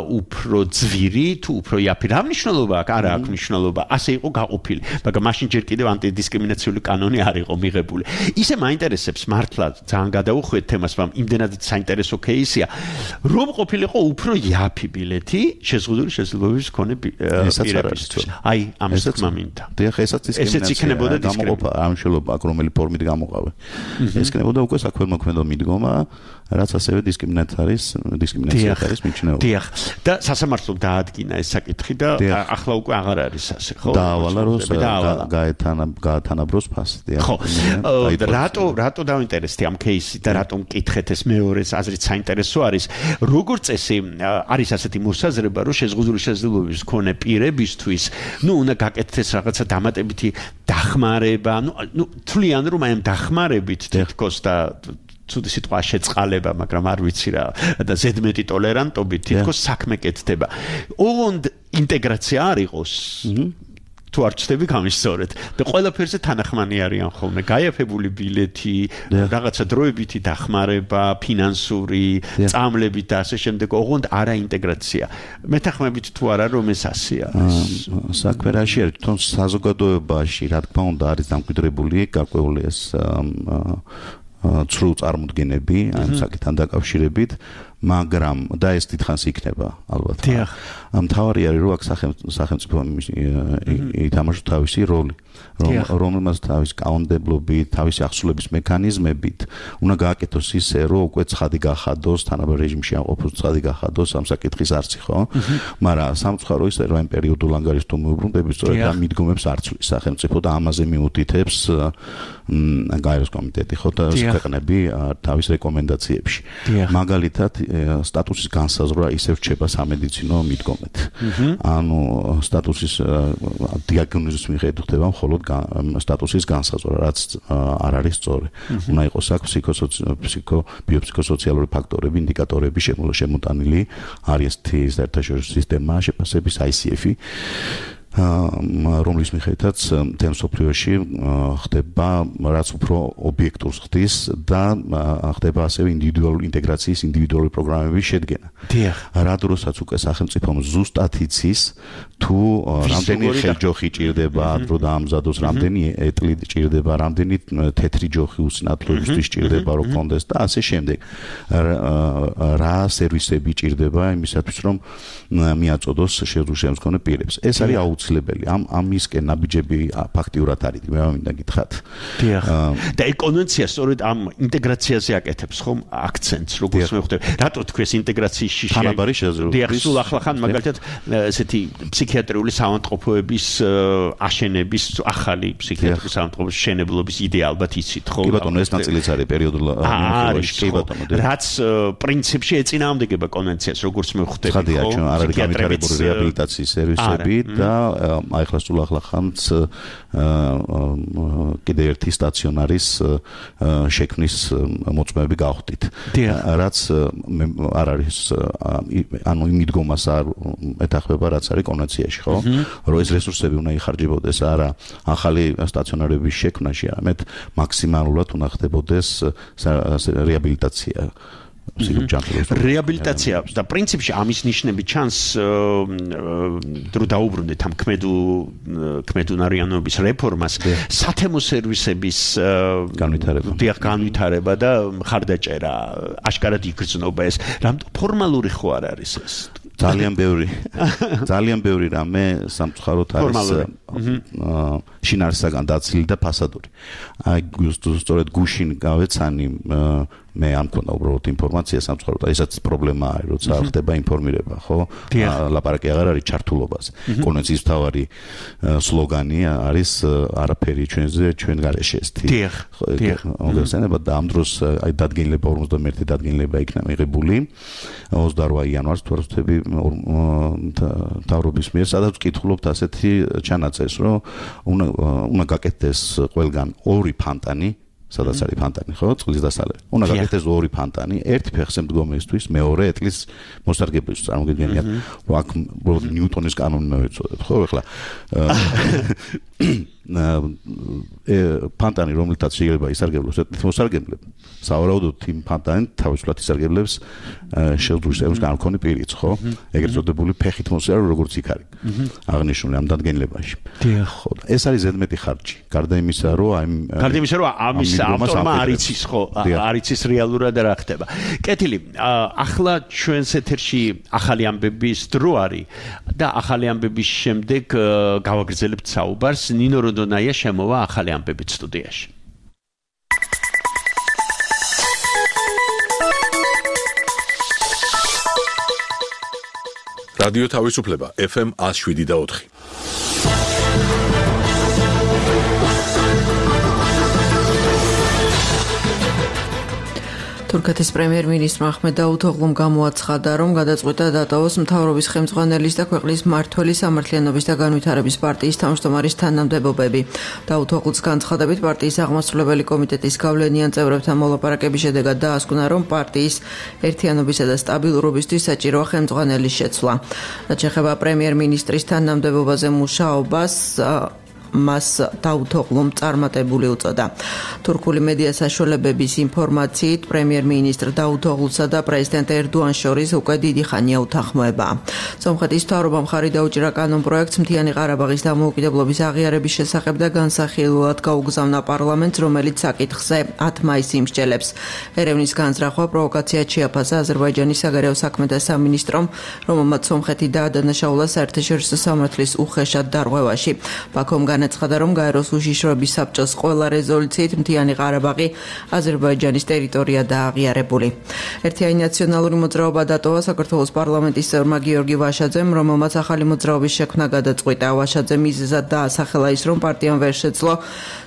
Speaker 4: უფრო ძვირი თუ უფრო იაფი, რა მნიშვნელობა აქვს? არა აქვს მნიშვნელობა, ასე იყო გაყოფილი, მაგრამ მაშინ ჯერ კიდევ ანტიდისკრიმინაციული კანონი არ იყო მიღებული. ისე მაინტერესებს მართლა ძალიან გადაუხვიეთ თემას, მაგრამ იმდენად საინტერესო кейსია, რომ ყოფილიყო უფრო იაფი ბილეთი შეზღუდული შესაძლებლობის მქონე პირებისთვის. აი, ამას თქმა მინდა.
Speaker 9: დიახ, ესაც
Speaker 4: დისკრიმინაცია
Speaker 9: გამოყოფა, არ მნიშვნელობა აქვს რომელი ფორმით გამოყავე. ეს იქნებოდა უკვე საქველმოქმედო მიდგომა, რაც ასევე დისკრიმინაცია არის, დისკრიმინაცია არის მიჩნეული.
Speaker 4: დიახ. და სასამართლო დაადგინა ეს საკითხი და ახლა უკვე აღარ არის ასე, ხო?
Speaker 9: დაავალა რომ გაეთანა გაათანაბროს ფასი.
Speaker 4: ხო. რატო რატო დავინტერესდი ამ кейსით და რატომ მკითხეთ ეს მეორეს აზრით საინტერესო არის. როგორც წესი არის ასეთი მოსაზრება, რომ შეზღუდული შესაძლებლობების მქონე პირებისთვის, ну, უნდა გაკეთდეს რაღაცა დამატებითი დახმარება, ну, ну, თვლიან რომ აი ამ დახმარებით თითქოს და ცუდი სიტყვა შეწყალება, მაგრამ არ ვიცი რა და ზედმეტი ტოლერანტობით თითქოს საქმე კეთდება. ოღონდ ინტეგრაცია არ იყოს. თუ არ ჩდები გამისწორეთ და ყველაფერზე თანახმანი არიან ხოლმე გაიაფებული ბილეთი, რაღაცა დროებითი დახმარება, ფინანსური, წამლებით და ასე შემდეგ, ოღონდ არა ინტეგრაცია. მეთანხმებით თუ არა რომ ეს ასეა.
Speaker 9: საქმე რაში არის? თვითონ საზოგადოებაში, რა თქმა უნდა, არის დამკვიდრებული გარკვეული ეს ცრუ წარმოდგენები ამ საკითხთან დაკავშირებით, მაგრამ და ეს დიდხანს იქნება ალბათ. მთავარი არის რომ აქ სახელმწიფო ითამაშოს თავისი როლი, რომელმაც თავის კანონმდებლობით, თავისი აღსრულების მექანიზმებით უნდა გააკეთოს ისე, რომ უკვე ცხადი გახადოს, თანაბარ რეჟიმში ამყოფოს ცხადი გახადოს ამ საკითხის არსი, ხო? მაგრამ სამწუხარო ისე რომ ამ პერიოდულ ანგარიშთა მოუბრუნდების სწორედ ამ მიდგომებს არ ცვლის სახელმწიფო და ამაზე მიუთითებს გაეროს კომიტეტი, ხო, და ქვეყნები თავის რეკომენდაციებში. მაგალითად სტატუსის განსაზღვრა ისევ რჩება სამედიცინო მიდგომით. ანუ სტატუსის დიაგნოზის მიხედვით ხდება მხოლოდ სტატუსის განსაზღვრა, რაც არ არის სწორი. უნდა იყოს აქ ფსიქო ბიოფსიქოსოციალური ფაქტორები, ინდიკატორები შემოტანილი არის საერთაშორისო სისტემა შეფასების I C F-ი. რომლის მიხედვითაც მთელ მსოფლიოში ხდება რაც უფრო ობიექტურს ხდის და ხდება ასევე ინდივიდუალური ინტეგრაციის ინდივიდუალური პროგრამების შედგენა. რა დროსაც უკვე სახელმწიფომ ზუსტად იცის თუ რამდენი ხელჯოხი ჭირდება დრო დაამზადოს, რამდენი ეტლი ჭირდება, რამდენი თეთრი ჯოხი უსინათლოებისთვის ჭირდება რომ კონდეს და ასე შემდეგ. რა სერვისები ჭირდება იმისათვის რომ მიაწოდოს შეზღუდული მქონე პირებს. ეს არის აუცილებელი. ამ ამისკენ ნაბიჯები ფაქტიურად არის, მე მინდა გითხრათ.
Speaker 4: და ეკონომიკა სწორედ ამ ინტეგრაციაზე აკეთებს ხომ აქცენტს, როგორც მე ხვდები. რატო თქვენ ინტეგრაციის შიში?
Speaker 9: თანაბარი შესაძლებლობა.
Speaker 4: სულ ახლა ხან მაგალითად ესეთი ფსიქიატრიული საავადმყოფოების აშენების ახალი ფსიქიატრიული საავადმყოფოების შენებლობის იდეა ალბათ იცით, ხო?
Speaker 9: კი ბატონო, ეს ნაწილიც არის პერიოდულ
Speaker 4: ამხელში, კი ბატონო. რაც პრინციპში ეწინააღმდეგება კონვენციას, როგორც მე ხვდები, ხო?
Speaker 9: ხადია, ჩვენ არ არის განვითარებული რეაბილიტაციის სერვისები და აი ახლა სულ ახლა ხანს კიდე ერთი სტაციონარის შექმნის მოწმეები გავხდით. რაც არ არის ანუ იმ მიდგომას არ ეთახმება, რაც არის კონვენციაში, ხო? რომ ეს რესურსები უნდა იხარჯებოდეს არა ახალი სტაციონარების შექმნაში, არამედ მაქსიმალურად უნდა ხდებოდეს რეაბილიტაცია.
Speaker 4: რეაბილიტაცია და პრინციპში ამის ნიშნები ჩანს დრო დაუბრუნდეთ ამ ქმედუნარიანობის რეფორმას, სათემო სერვისების
Speaker 9: განვითარება.
Speaker 4: დიახ, განვითარება და მხარდაჭერა, აშკარად იგრძნობა ეს. რამ ფორმალური ხო არ არის ეს?
Speaker 9: ძალიან ბევრი ძალიან ბევრი რამე სამწუხაროდ არის შინაარსისაგან დაცილი და ფასადური. აი სწორედ გუშინ გავეცანი მე ამ მქონდა უბრალოდ ინფორმაცია სამწუხაროდ, ესაც პრობლემა არის, როცა ხდება ინფორმირება, ხო? ლაპარაკი აღარ არის ჩართულობაზე. კონვენციის მთავარი სლოგანი არის არაფერი ჩვენზე, ჩვენ გარეშე ეს.
Speaker 4: დიახ.
Speaker 9: მოგეხსენება და ამ დროს აი დადგენილება ორმოცდამეერთი დადგენილება იქნა მიღებული ოცდარვა იანვარს თუ არ ვთქვი მთავრობის მიერ, სადაც ვკითხულობთ ასეთი ჩანაწერს, რომ უნდა უნდა გაკეთდეს ყველგან ორი ფანტანი, სადაც არის ფანტანი, ხო? წყლის დასალევი. უნდა გაკეთდეს ორი ფანტანი, ერთი ფეხზე მდგომისთვის, მეორე ეტლის მოსარგებლისთვის. წარმოგიდგენიათ, რომ აქ უბრალოდ ნიუტონის კანონი მოვეწოდეთ, ხო? ეხლა ფანტანი, რომელთაც შეიძლება ისარგებლოს ეტლით მოსარგებლები, სავარაუდოდ იმ ფანტანი თავისუფლად ისარგებლებს შეზღუდული სერვისის განმქონე პირიც, ხო? ეგრეთ წოდებული ფეხით მოსიარულე, როგორც იქ არის აღნიშნული ამ დადგენილებაში. ხო, ეს არის ზედმეტი ხარჯი. გარდა იმისა, რომ აი
Speaker 4: გარდა იმისა, რომ ამის ავტორმა არ იცის, ხო, არ იცის რეალურად რა ხდება. კეთილი, ახლა ჩვენს ეთერში ახალი ამბების დრო არის და ახალი ამბების შემდეგ გავაგრძელებთ საუბარს. ნინო როდონაია შემოვა ახალი ამბებით სტუდიაში.
Speaker 1: რადიო თავისუფლება ეფ ემ one oh seven და four.
Speaker 10: თურქეთის პრემიერ-მინისტრმა აჰმედ დაუთოღლუმ გამოაცხადა, რომ გადაწყვიტა დატოვოს მთავრობის ხელმძღვანელის და ქვეყნის მმართველი სამართლიანობის და განვითარების პარტიის თავმჯდომარის თანამდებობები. დაუთოღლუს განცხადებით პარტიის აღმასრულებელი კომიტეტის გავლენიან წევრებთან მოლაპარაკების შედეგად დაასკვნა, რომ პარტიის ერთიანობისა და სტაბილურობისთვის საჭიროა ხელმძღვანელის შეცვლა. რაც შეეხება პრემიერ-მინისტრის თანამდებობაზე მუშაობას, მას დაუთოღლუმ წარმატებული უწოდა. თურქული მედია საშუალებების ინფორმაციით პრემიერ-მინისტრ დაუთოღლუსა და პრეზიდენტ ერდოანის შორის უკვე დიდი ხანია უთანხმოება. სომხეთის მთავრობამ მხარი დაუჭირა კანონპროექტს მთიანი ყარაბაღის დამოუკიდებლობის აღიარების შესახებ და განსახილველად გაუგზავნა პარლამენტს, რომელიც საკითხზე ათ მაისს იმსჯელებს. ერევნის განზრახვა პროვოკაციად შეაფასა აზერბაიჯანის საგარეო საქმეთა სამინისტრომ, რომელმაც სომხეთი დაადანაშაულა საერთაშორისო სამართლის უხეშად დარღვევაში. ბაქომ განაცხადა, რომ გაეროს უშიშროების საბჭოს ყველა რეზოლუციით მთიანი ყარაბაღი აზერბაიჯანის ტერიტორიადაა აღიარებული. ერთიანი ნაციონალური მოძრაობა დატოვა საქართველოს პარლამენტის წევრმა გიორგი ვაშაძემ, რომელმაც ახალი მოძრაობის შექმნა გადაწყვიტა. ვაშაძემ მიზეზად დაასახელა ის, რომ პარტიამ ვერ შეძლო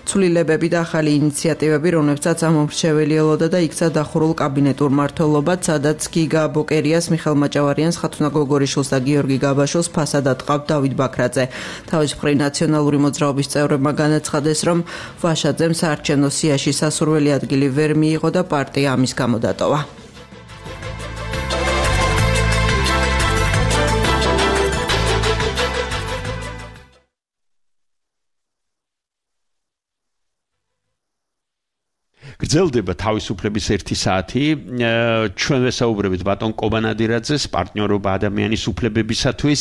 Speaker 10: ცვლილებები და ახალი ინიციატივები, რომლებსაც ამომრჩეველი ელოდა და იქცა დახურულ კაბინეტურ მმართველობად, სადაც გიგა ბოკერიას, მიხელ მაჭავარიანს, ხათუნა გოგორიშვილს და გიორგი გაბაშვილს ფასად ატყავთ დავით ბაქრაძე. თავის მხრივ ნაციონალური მოძრაობის წევრებმა განაცხადეს, რომ ვაშაძემ საარჩევნო სიაში სასურველი ადგილი ვერ მიიღო და პარტია ამის გამო დატოვა.
Speaker 4: გრძელდება თავისუფლების ერთი საათი. ჩვენ ვესაუბრებით ბატონ კობანადირაძეს, პარტნიორობა ადამიანის უფლებებისათვის.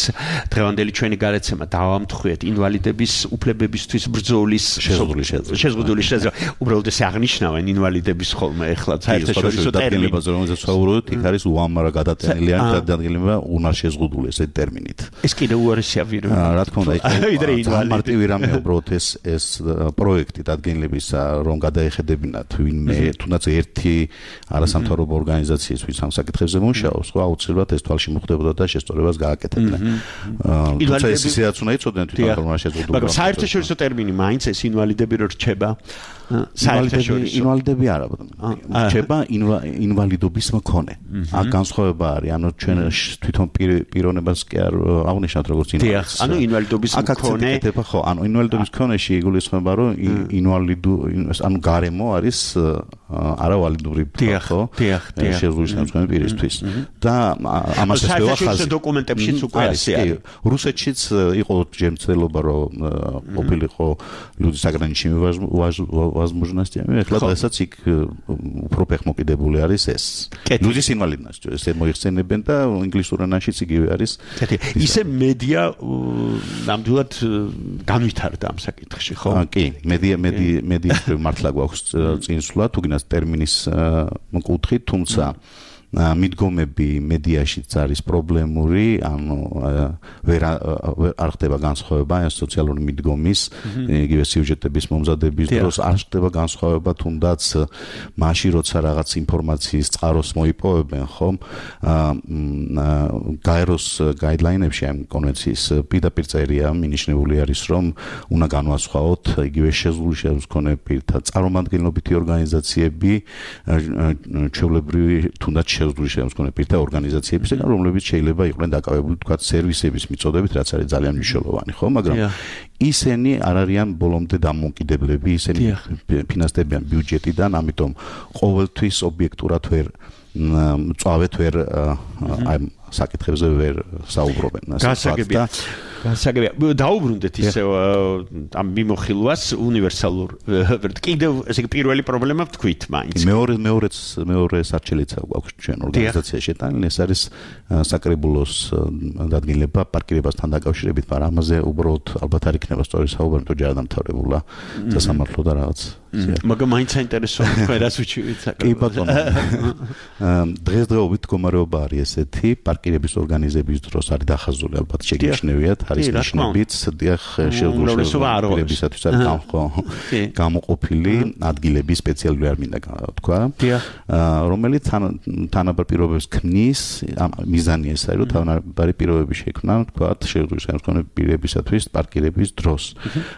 Speaker 4: დღევანდელი ჩვენი გადაცემა დავამთხვიეთ ინვალიდების უფლებებისთვის ბრძოლის შეზღუდული შეძლო. უბრალოდ ეს აღნიშნავენ ინვალიდების ხოლმე ეხლა საერთაშორისო ტერმინებზე,
Speaker 9: რომელზეც ვსაუბრობთ, იქ არის უამარა გადაწყვეტილიანი დადგენილება უნარშეზღუდული ესეთი ტერმინით.
Speaker 4: ეს კიდევ უარესია ვიდრე
Speaker 9: რა თქმა უნდა, იქ მარტივი რამე უბრალოდ ეს ეს პროექტი დადგენილებისა, რომ გადაეხედებინათ ვინმე თუნდაც ერთი არასამთავრობო ორგანიზაციის ვის ამ საკითხებზე მუშაობს, ხო აუცილებლად ეს თვალში მოხდებოდა და შესწორებას გააკეთებდნენ. თუმცა ეს ისედაც უნდა იცოდნენ თვითონ რომ რა შეზღუდული.
Speaker 4: მაგრამ საერთაშორისო ტერმინი მაინც ეს ინვალიდები რო რჩება საერთაშორისო
Speaker 9: ინვალიდები არა რჩება ინვალიდობის მქონე. აქ განსხვავება არის, ანუ ჩვენ თვითონ პიროვნებას კი არ აღნიშნავთ როგორც ინვალიდს.
Speaker 4: ანუ ინვალიდობის მქონე
Speaker 9: ხო, ანუ ინვალიდობის მქონეში იგულისხმება რომ ინვალიდო ანუ გარემო არის არავალიდური ხო შეზღუდული შემთხვევები პირისთვის და ამას ეს
Speaker 4: საერთაშორისო დოკუმენტებშიც უკვე არის.
Speaker 9: რუსეთშიც იყო ჯერმცდელობა რომ ყოფილიყო люди заграничными возможностями, ეხლა დღესაც იქ უფრო ფეხმოკიდებული არის ეს. ლუდის ინვალიდность, ესე მოიხსენებენ და ინგლისურ ენაშიც იგივე არის.
Speaker 4: ისე მედია ნამდვილად განვითარდა ამ საკითხში, ხო?
Speaker 9: კი, მედია მედია მედიის მართლა გვაქვს წინსვლა, თუ გინდათ ტერმინის მკუთხით, თუმცა მიდგომები მედიაშიც არის პრობლემური, ანუ ვერ არ ხდება განსხვავება ეს სოციალური მიდგომის, იგივე სიუჟეტების მომზადების დროს არ ხდება განსხვავება, თუნდაც მაშინ როცა რაღაც ინფორმაციის წყაროს მოიპოვებენ, ხომ? გაეროს გაიდლაინებში ამ კონვენციის პირდაპირ წერია მინიშნებული არის, რომ უნდა განვასხვაოთ იგივე შეზღუდული შემოსქონები პირთა წარმომადგენლობითი ორგანიზაციები, ჩვეულებრივი თუნდაც შეზღუდული შემოსქონე პირთა ორგანიზაციებისგან, რომლებიც შეიძლება იყვნენ დაკავებული თქვათ სერვისების მიწოდებით, რაც არის ძალიან მნიშვნელოვანი, ხო? მაგრამ ისინი არ არიან ბოლომდე დამოუკიდებლები, ისინი ფინანსდებიან ბიუჯეტიდან, ამიტომ ყოველთვის ობიექტურად ვერ წავეთ ვერ აი საკითხებზე ვერ საუბრობენ.
Speaker 4: გასაგებია. გასაგებია. დაუბრუნდეთ ისე ამ მიმოხილვას უნივერსალურ. კიდევ ესე იგი პირველი პრობლემა ვთქვით მაინც.
Speaker 9: მეორე მეორეც მეორე სარჩელიცა გვაქვს ჩვენ ორგანიზაციაში შეტანილი, ეს არის საკრებულოს დადგენილება პარკირებასთან დაკავშირებით, მაგრამ ამაზე უბრალოდ ალბათ არ იქნება სწორი საუბარი, თუ ჯერ დამთავრებულა სასამართლო და რაღაც
Speaker 4: მაგრამ მაინც საინტერესოა თქვენ რას უჩივით საკუთარ.
Speaker 9: კი ბატონო. დღესდღეობით მდგომარეობა არის ესეთი, პარკირების ორგანიზების დროს არის დახაზული ალბათ შეგიჩნევიათ, არის ნიშნებით, დიახ, შეუძლებლობისათვის არის გამოყოფილი ადგილები სპეციალური არ მინდა თქვა, რომელიც თანაბარ პირობებს ქმნის, მიზანი ეს არის, რომ თანაბარი პირობები შექმნა, თქვა, შეუძლებელი პირებისათვის პარკირების დროს.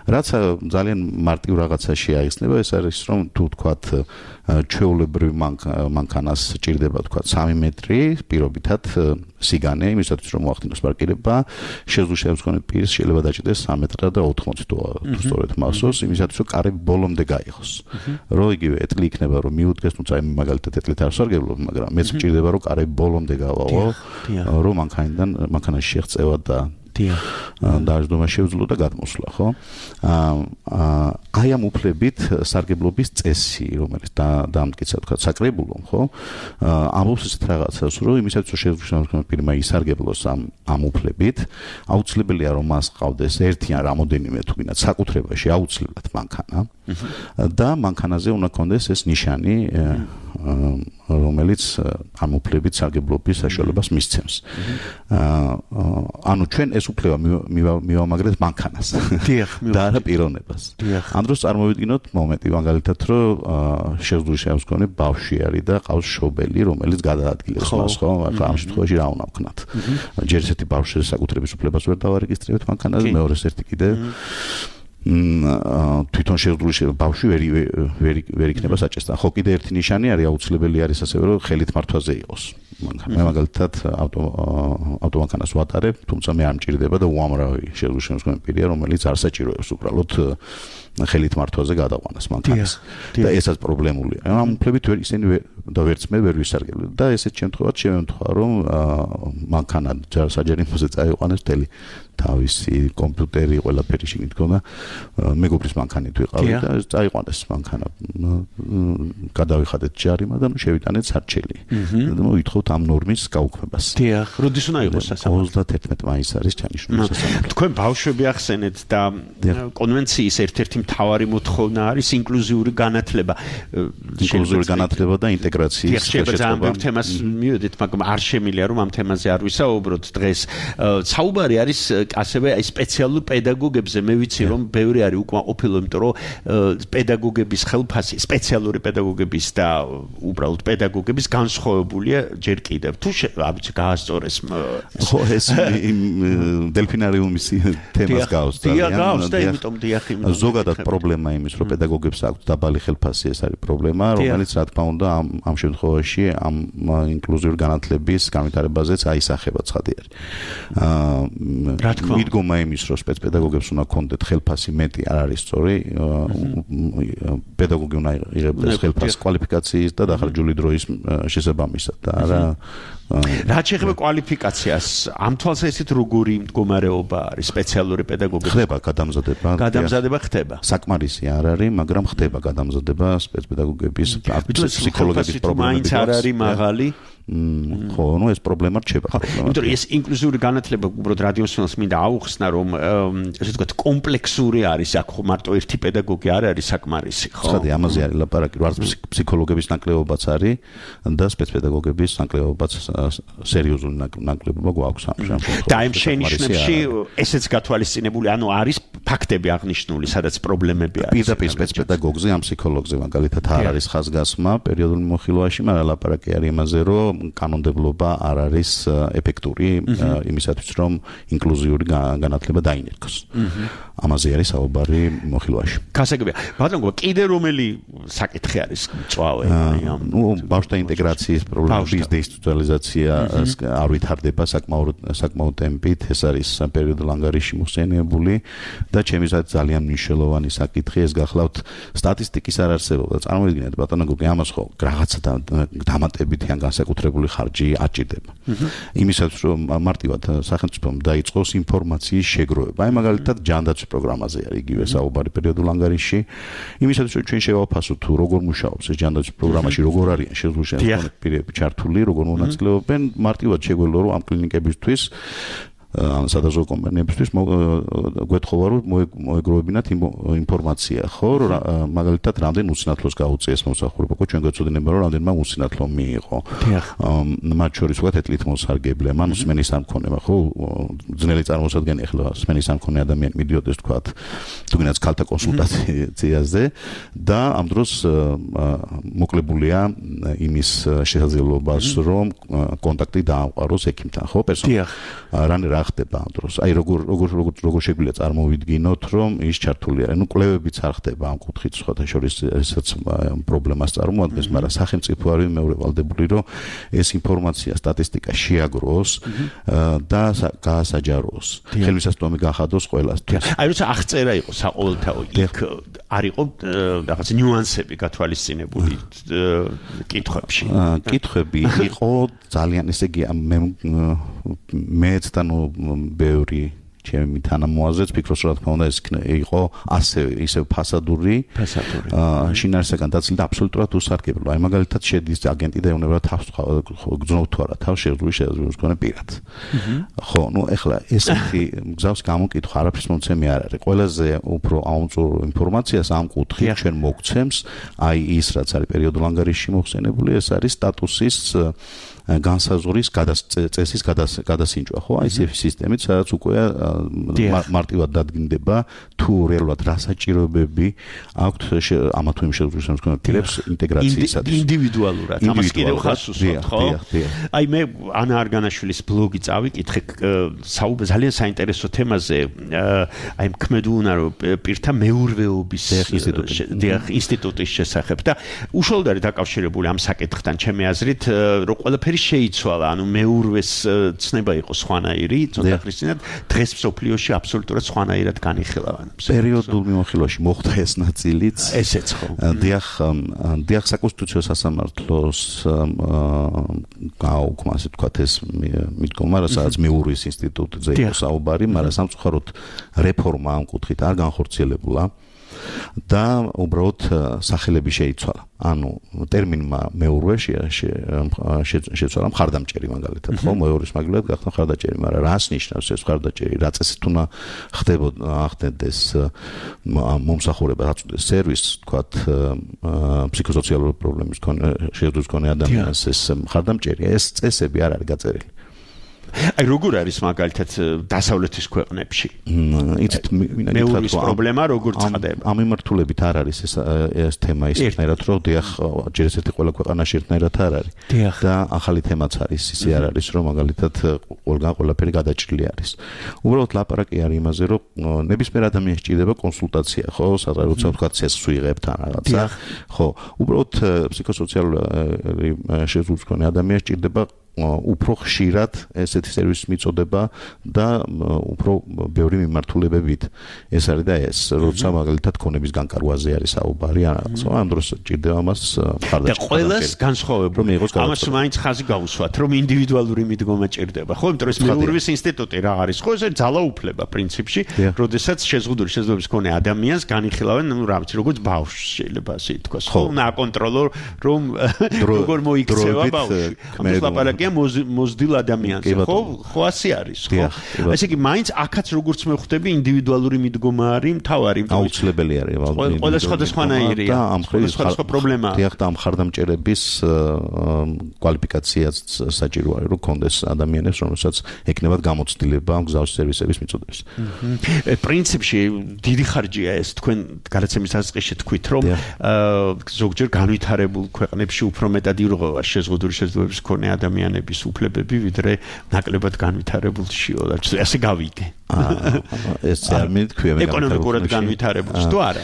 Speaker 9: რაც ძალიან მარტივ რაღაცა შეაიხსნება, ეს არის რომ თუ თქვათ ჩვეულებრივ მანქანას ჭირდება თქვათ სამი მეტრი პირობითად სიგანე იმისათვის რომ მოახდინოს პარკირება შეუძლებელი პირს შეიძლება დაჭირდეს სამი მეტრი და ოთხმოცი თუ სწორედ მასოს იმისათვის რომ კარები ბოლომდე გაიღოს რომ იგივე ეტლი იქნება რომ მიუდგეს თუმცა მაგალითად ეტლით არ სარგებლობ მაგრამ მეც ჭირდება რომ კარები ბოლომდე გავაო რომ მანქანიდან მანქანაში შეღწევა და დაждობა შეძლო და გადმოსვლა, ხო? აი ამ უფლებით სარგებლობის წესი, რომელიც დაამტკიცა თქვა საკრებულომ, ხო? ამბობს ესეთ რაღაცას, რომ იმისათვის რომ შეძლოს პირმა ისარგებლოს ამ ამ უფლებით, აუცილებელია რომ მას ყავდეს ერთი ან რამოდენიმე თუ გინდათ საკუთრებაში აუცილებლად მანქანა და მანქანაზე უნდა კონდეს ეს ნიშანი რომელიც ამ უფლებით სარგებლობის საშუალებას მისცემს. ანუ ჩვენ ეს უფლება მივამაგრეთ მანქანას.
Speaker 4: დიახ,
Speaker 9: და არა პიროვნებას. ამ დროს წარმოვიდგინოთ მომენტი მაგალითად რომ შეძლოს შემსგონი ბავშვი არის და ყავს შობელი რომელიც გადაადგილებს მას, ხო? ამ შემთხვევაში რა უნდა ვქნათ? ჯერ ესეთი ბავშვის საკუთრების უფლებას ვერ დავარეგისტრირებთ მანქანაზე, მეორეს ერთი კიდე თვითონ შეძლოს ბავშვი ვერ ვერ ვერ იქნება საჭესთან. ხო, კიდე ერთი ნიშანი არის აუცილებელი არის ასევე რომ ხელით მართვაზე იყოს. მე მაგალითად ავტომანქანას ვატარებ, თუმცა მე არ მჭირდება და უამრავი შეძლოს პირია, რომელიც არ საჭიროებს უბრალოდ ხელით მართვაზე გადაყვანას მანქანას. და ესაც პრობლემულია. ამ უფლებით ვერ ისინი და ვერც მე ვერ ვისარგებლებ და ესეთ შემთხვევაში შემთხვევა რომ მანქანა საჯარიმოზე წაიყვანეს მთელი თავისი კომპიუტერი ყველაფერი შეგით ქონდა მეგობრის მანქანით ვიყავი და წაიყვანეს მანქანა გადავიხადეთ ჯარიმა და შევიტანეთ სარჩელი და მოვითხოვთ ამ ნორმის გაუქმებას.
Speaker 4: დიახ, როდის უნდა იყოს სასამართლო?
Speaker 9: ოცდათერთმეტი მაისს არის ჩანიშნული სასამართლო.
Speaker 4: თქვენ ბავშვები ახსენეთ და კონვენციის ერთ-ერთი მთავარი მოთხოვნა არის ინკლუზიური განათლება.
Speaker 9: ინკლუზიური განათლება და ინტეგრაციის
Speaker 4: შეწყვეტა. ამ თემას მივედით, მაგრამ არ შემიძლია რომ ამ თემაზე არ ვისაუბროთ დღეს. საუბარი არის ასევე აი სპეციალურ პედაგოგებზე. მე ვიცი რომ ბევრი არის უკმაყოფილო, იმიტომ რომ პედაგოგების ხელფასი, სპეციალური პედაგოგების და უბრალოდ პედაგოგების განსხვავებულია ჯერ კიდევ. თუ ამიცი გაასწორეს
Speaker 9: ხო ეს დელფინარიუმის თემას გავს
Speaker 4: და გავს და იმიტომ დიახ იმ
Speaker 9: ზოგადად პრობლემა იმის რომ პედაგოგებს აქვს დაბალი ხელფასი ეს არის პრობლემა რომელიც რა თქმა უნდა ამ ამ შემთხვევაში ამ ინკლუზიური განათლების განვითარებაზეც აისახება ცხადი არის. აა მიდგომა იმის რომ სპეცპედაგოგებს უნდა ქონდეთ ხელფასი მეტი არ არის სწორი. პედაგოგი უნდა იღებდეს ხელფასს კვალიფიკაციის და დახარჯული დროის შესაბამისად და არა
Speaker 4: რაც შეეხება კვალიფიკაციას, ამ თვალსაზრისით როგორი მდგომარეობა არის სპეციალური პედაგოგების?
Speaker 9: ხდება გადამზადება.
Speaker 4: გადამზადება ხდება.
Speaker 9: საკმარისი არ არის, მაგრამ ხდება გადამზადება სპეცპედაგოგების ფსიქოლოგების პრობლემების.
Speaker 4: მაინც არ არის მაღალი.
Speaker 9: ხო, ნუ ეს პრობლემა რჩება.
Speaker 4: იმიტომ რომ ეს ინკლუზიური განათლება უბრალოდ რადიოსინოს მინდა აუხსნა რომ ესე ვთქვათ კომპლექსური არის, აქ ხო მარტო ერთი პედაგოგი არ არის საკმარისი, ხო?
Speaker 9: ხადი ამაზე არის ლაპარაკი, რომ არც ფსიქოლოგების ნაკლებობაც არის და სპეცპედაგოგების ნაკლებობაც სერიოზული ნაკლებობა გვაქვს ამ შემთხვევაში.
Speaker 4: და იმ შენიშვნებში ესეც გათვალისწინებული, ანუ არის ფაქტები აღნიშნული, სადაც პრობლემები არის.
Speaker 9: პირდაპირ სპეცპედაგოგზე, ამ ფსიქოლოგზე მაგალითად არ არის ხაზგასმა პერიოდული მოხილვაში, მაგრამ ლაპარაკი არის იმაზე, რომ კანონმდებლობა არ არის ეფექტური იმისათვის, რომ ინკლუზიური განათლება დაინერგოს. ამაზე არის საუბარი მოხილვაში.
Speaker 4: გასაგებია. ბატონო, კიდე რომელი საკითხი არის მწვავე?
Speaker 9: ნუ ბავშვთა ინტეგრაციის პრობლემების დეინსტიტუციონალიზაცია არ ვითარდება საკმაოდ საკმაოდ ტემპით. ეს არის პერიოდულ ანგარიში მოხსენიებული და ჩემისად ძალიან მნიშვნელოვანი საკითხი. ეს გახლავთ სტატისტიკის არ არსებობა. წარმოიდგინეთ ბატონო, ამას ხო რაღაცა დამატებითი ან განსაკუთრებული ხარჯი აჭირდება. იმისათვის რომ მარტივად სახელმწიფომ დაიწყოს ინფორმაციის შეგროვება. აი მაგალითად ჯანდაცვის პროგრამაზე არის იგივე საუბარი პერიოდულ ანგარიში. იმისათვის რომ ჩვენ შევაფასოთ თუ როგორ მუშაობს ეს ჯანდაცვის პროგრამაში, როგორ არიან შეძლოს პირები ჩართული, როგორ მონაწილეობენ, მარტივად შეგვეძლო რომ ამ კლინიკებისთვის ან სადაზო კომპანიებისთვის გვეთხოვა რომ მოეგროვებინათ ინფორმაცია, ხო, მაგალითად რამდენ უცნათლოს გაუწიეს მომსახურება, ხო, ჩვენ გვეცოდინება რომ რამდენმა უცნათლო მიიღო. მათ შორის ვთქვათ ეთლით მოსარგებლებმა, ანუ სმენის სამქონემა, ხო, ძნელი წარმოსადგენი ახლა სმენის სამქონე ადამიანი მიდიოდეს ვთქვათ, თუნდაც ქალთა კონსულტაციაზე და ამ დროს მოკლებულია იმის შესაძლებლობას, რომ კონტაქტი დაამყაროს ექიმთან, ხო, პერსონალთან. რანი რა ხდება ამ დროს? აი როგორ როგორ როგორ შეგვიძლია წარმოვიდგინოთ, რომ ის ჩართული არის. ნუ კვლევებიც არ ხდება ამ კუთხით, სხვათა შორის ესაც პრობლემას წარმოადგენს, მაგრამ სახელმწიფო არის მეორე ვალდებული, რომ ეს ინფორმაცია, სტატისტიკა შეაგროს და გაასაჯაროს. ხელმისაწვდომი გახადოს ყველასთვის.
Speaker 4: აი როცა აღწერა იყო საყოველთაო, იქ არ იყო რაღაც ნიუანსები გათვალისწინებული კითხვებში.
Speaker 9: კითხვები იყო ძალიან, ესე იგი მე მეც და ნუ ბევრი ჩემი თანამოაზრეც ფიქრობს, რომ რა თქმა უნდა ეს იყო ასევე ისევ ფასადური,
Speaker 4: ფასადური.
Speaker 9: შინაარსაგან დაცილი და აბსოლუტურად უსარგებლო. აი მაგალითად შედის აგენტი და ეუბნება თავს გძნობ თუ არა, თავს შეძლული შეძლოს მქონე პირად. ხო, ნუ ეხლა ესეთი გზავს გამოკითხვა არაფრის მომცემი არ არის. ყველაზე უფრო აუმწურო ინფორმაციას ამ კუთხით ჩვენ მოგცემს, აი ის რაც არის პერიოდულ ანგარიშში მოხსენებული, ეს არის სტატუსის განსაზღვრის წესის გადასინჯვა, ხო? აი ეს სისტემით, სადაც უკვე მარტივად დადგინდება თუ რეალურად რა საჭიროებები აქვთ ამა თუ იმ შეძლოს მქონეებს ინტეგრაციისათვის.
Speaker 4: ინდივიდუალურად, ამას კიდევ ხას უსვამთ, ხო? აი მე ანა არგანაშვილის ბლოგი წავიკითხე, ძალიან საინტერესო თემაზე, აი მქმედუნა რომ პირთა მეურვეობის ინსტიტუტის შესახებ და უშუალოდ არის დაკავშირებული ამ საკითხთან, ჩემი აზრით, რომ ყველაფერი შეიცვალა, ანუ მეურვეს ცნება იყო სხვანაირი, ცოტა ხნისწინათ, დღეს მსოფლიოში აბსოლუტურად სხვანაირად განიხილავენ.
Speaker 9: პერიოდულ მიმოხილვაში მოხდა ეს ნაწილიც.
Speaker 4: ესეც ხო.
Speaker 9: დიახ, დიახ საკონსტიტუციო სასამართლოს გააუქმა, ასე ვთქვათ, ეს მიდგომა, სადაც მეურვის ინსტიტუტზე იყო საუბარი, მაგრამ სამწუხაროდ რეფორმა ამ კუთხით არ განხორციელებულა. და უბრალოდ სახელები შეიცვალა. ანუ ტერმინმა მეურვე შეცვალა მხარდამჭერი მაგალითად, ხო, მეურვის მაგალითად გახდა მხარდაჭერი, მაგრამ რას ნიშნავს ეს მხარდაჭერი? რა წესით უნდა ხდებოდა ახდენდეს მომსახურება, რაც უწოდეს სერვისს, ვთქვათ, ფსიქოსოციალური პრობლემის მქონე შეძლოს მქონე ადამიანს ეს მხარდამჭერი, ეს წესები არ არის გაწერილი.
Speaker 4: აი როგორ არის მაგალითად დასავლეთის ქვეყნებში?
Speaker 9: იცით,
Speaker 4: მეურვის პრობლემა როგორ წყდება?
Speaker 9: ამ მიმართულებით არ არის ეს ეს თემა ისეთნაირად, რომ დიახ, ჯერ ესეთი ყველა ქვეყანაში ერთნაირად არ არის. და ახალი თემაც არის, ისე არ არის, რომ მაგალითად ყველგან ყველაფერი გადაჭრილი არის. უბრალოდ ლაპარაკი არის იმაზე, რომ ნებისმიერ ადამიანს სჭირდება კონსულტაცია, ხო, სადღაც როცა ვთქვათ ცესს ვიღებთ ან რაღაცა, ხო, უბრალოდ ფსიქოსოციალური შეძლოს მქონე ადამიანს სჭირდება უფრო ხშირად ესეთი სერვისის მიწოდება და უფრო ბევრი მიმართულებებით. ეს არის და ეს, როცა მაგალითად ქონების განკარგვაზე არის საუბარი, ამ დროს ჭირდება მას მხარდაჭერა.
Speaker 4: და ყველას განსხვავებული. ამას მაინც ხაზი გაუსვათ, რომ ინდივიდუალური მიდგომა ჭირდება. ხო, იმიტომ რომ ეს მეურვის ინსტიტუტი რა არის? ხო, ეს ძალაუფლება პრინციპში, როდესაც შეზღუდული შეძლების მქონე ადამიანს განიხილავენ, ну, რა ვიცი, როგორც ბავშვს შეიძლება ასე ითქვას. ხო, უნდა აკონტროლო, რომ როგორ მოიქცევა ბავშვი. ამას ლაპარაკია მოზდილ ადამიანზე, ხო? ხო ასე არის, ხო? ესე იგი, მაინც აქაც როგორც მე ხვდები, ინდივიდუალური მიდგომა არის მთავარი.
Speaker 9: აუცილებელი არის,
Speaker 4: ვალდე. ყველა სხვადასხვანაირია. სხვადასხვა პრობლემაა.
Speaker 9: დიახ, და ამ მხარდამჭერების კვალიფიკაციაც საჭირო არის, რომ კონდეს ადამიანებს, რომელსაც ეკნებათ გამოცდილება ამ გზავის სერვისების მიწოდების.
Speaker 4: პრინციპში დიდი ხარჯია ეს, თქვენ გადაცემის დასაწყისში თქვით, რომ ზოგჯერ განვითარებულ ქვეყნებში უფრო მეტად ირღვევა შეზღუდული შეძლებების მქონე ადამიანების უფლებები, ვიდრე ნაკლებად განვითარებულშიო, ასე გავიგე.
Speaker 9: ეს არ მითქვია მე
Speaker 4: ეკონომიკურად განვითარებულს თუ არა?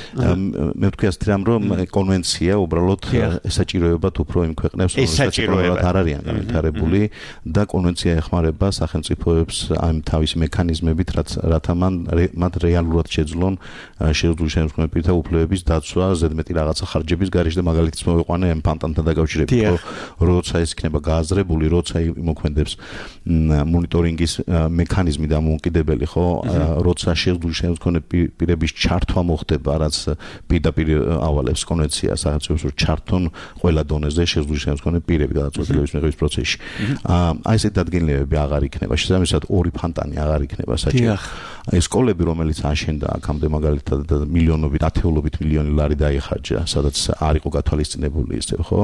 Speaker 9: მე ვთქვი ასე რომ კონვენცია უბრალოდ ესაჭიროებათ უფრო იმ ქვეყნებს, რომელსაც არ არიან განვითარებული და კონვენცია ეხმარება სახელმწიფოებს ამ თავისი მექანიზმებით, რათა მათ რეალურად შეძლონ შეძლოს შემოქმედი პირთა უფლებების დაცვა, ზედმეტი რაღაცა ხარჯების გარეშე და მაგალითს მოვიყვანე ამ ფანტანთან დაკავშირებით, როცა ეს იქნება გააზრებული, როცა იმოქმედებს მონიტორინგის მექანიზმი და მოუკიდებელი, ხო როცა შეზღუდული შემდგომი პირების ჩართვა მოხდება რაც პირდაპირ ავალებს კონვენციას სახელმწიფოს რომ ჩართონ ყველა დონეზე შეზღუდული შემდგომი პირები გადაწყვეტილების მიღების პროცესში აი ესეთ დადგენილებები აღარ იქნება შესაბამისად ორი ფანტანი აღარ იქნება საჭირო ეს სკოლები რომელიც აშენდა აქამდე მაგალითად მილიონობით ათეულობით მილიონი ლარი დაიხარჯა სადაც არ იყო გათვალისწინებული ისე ხო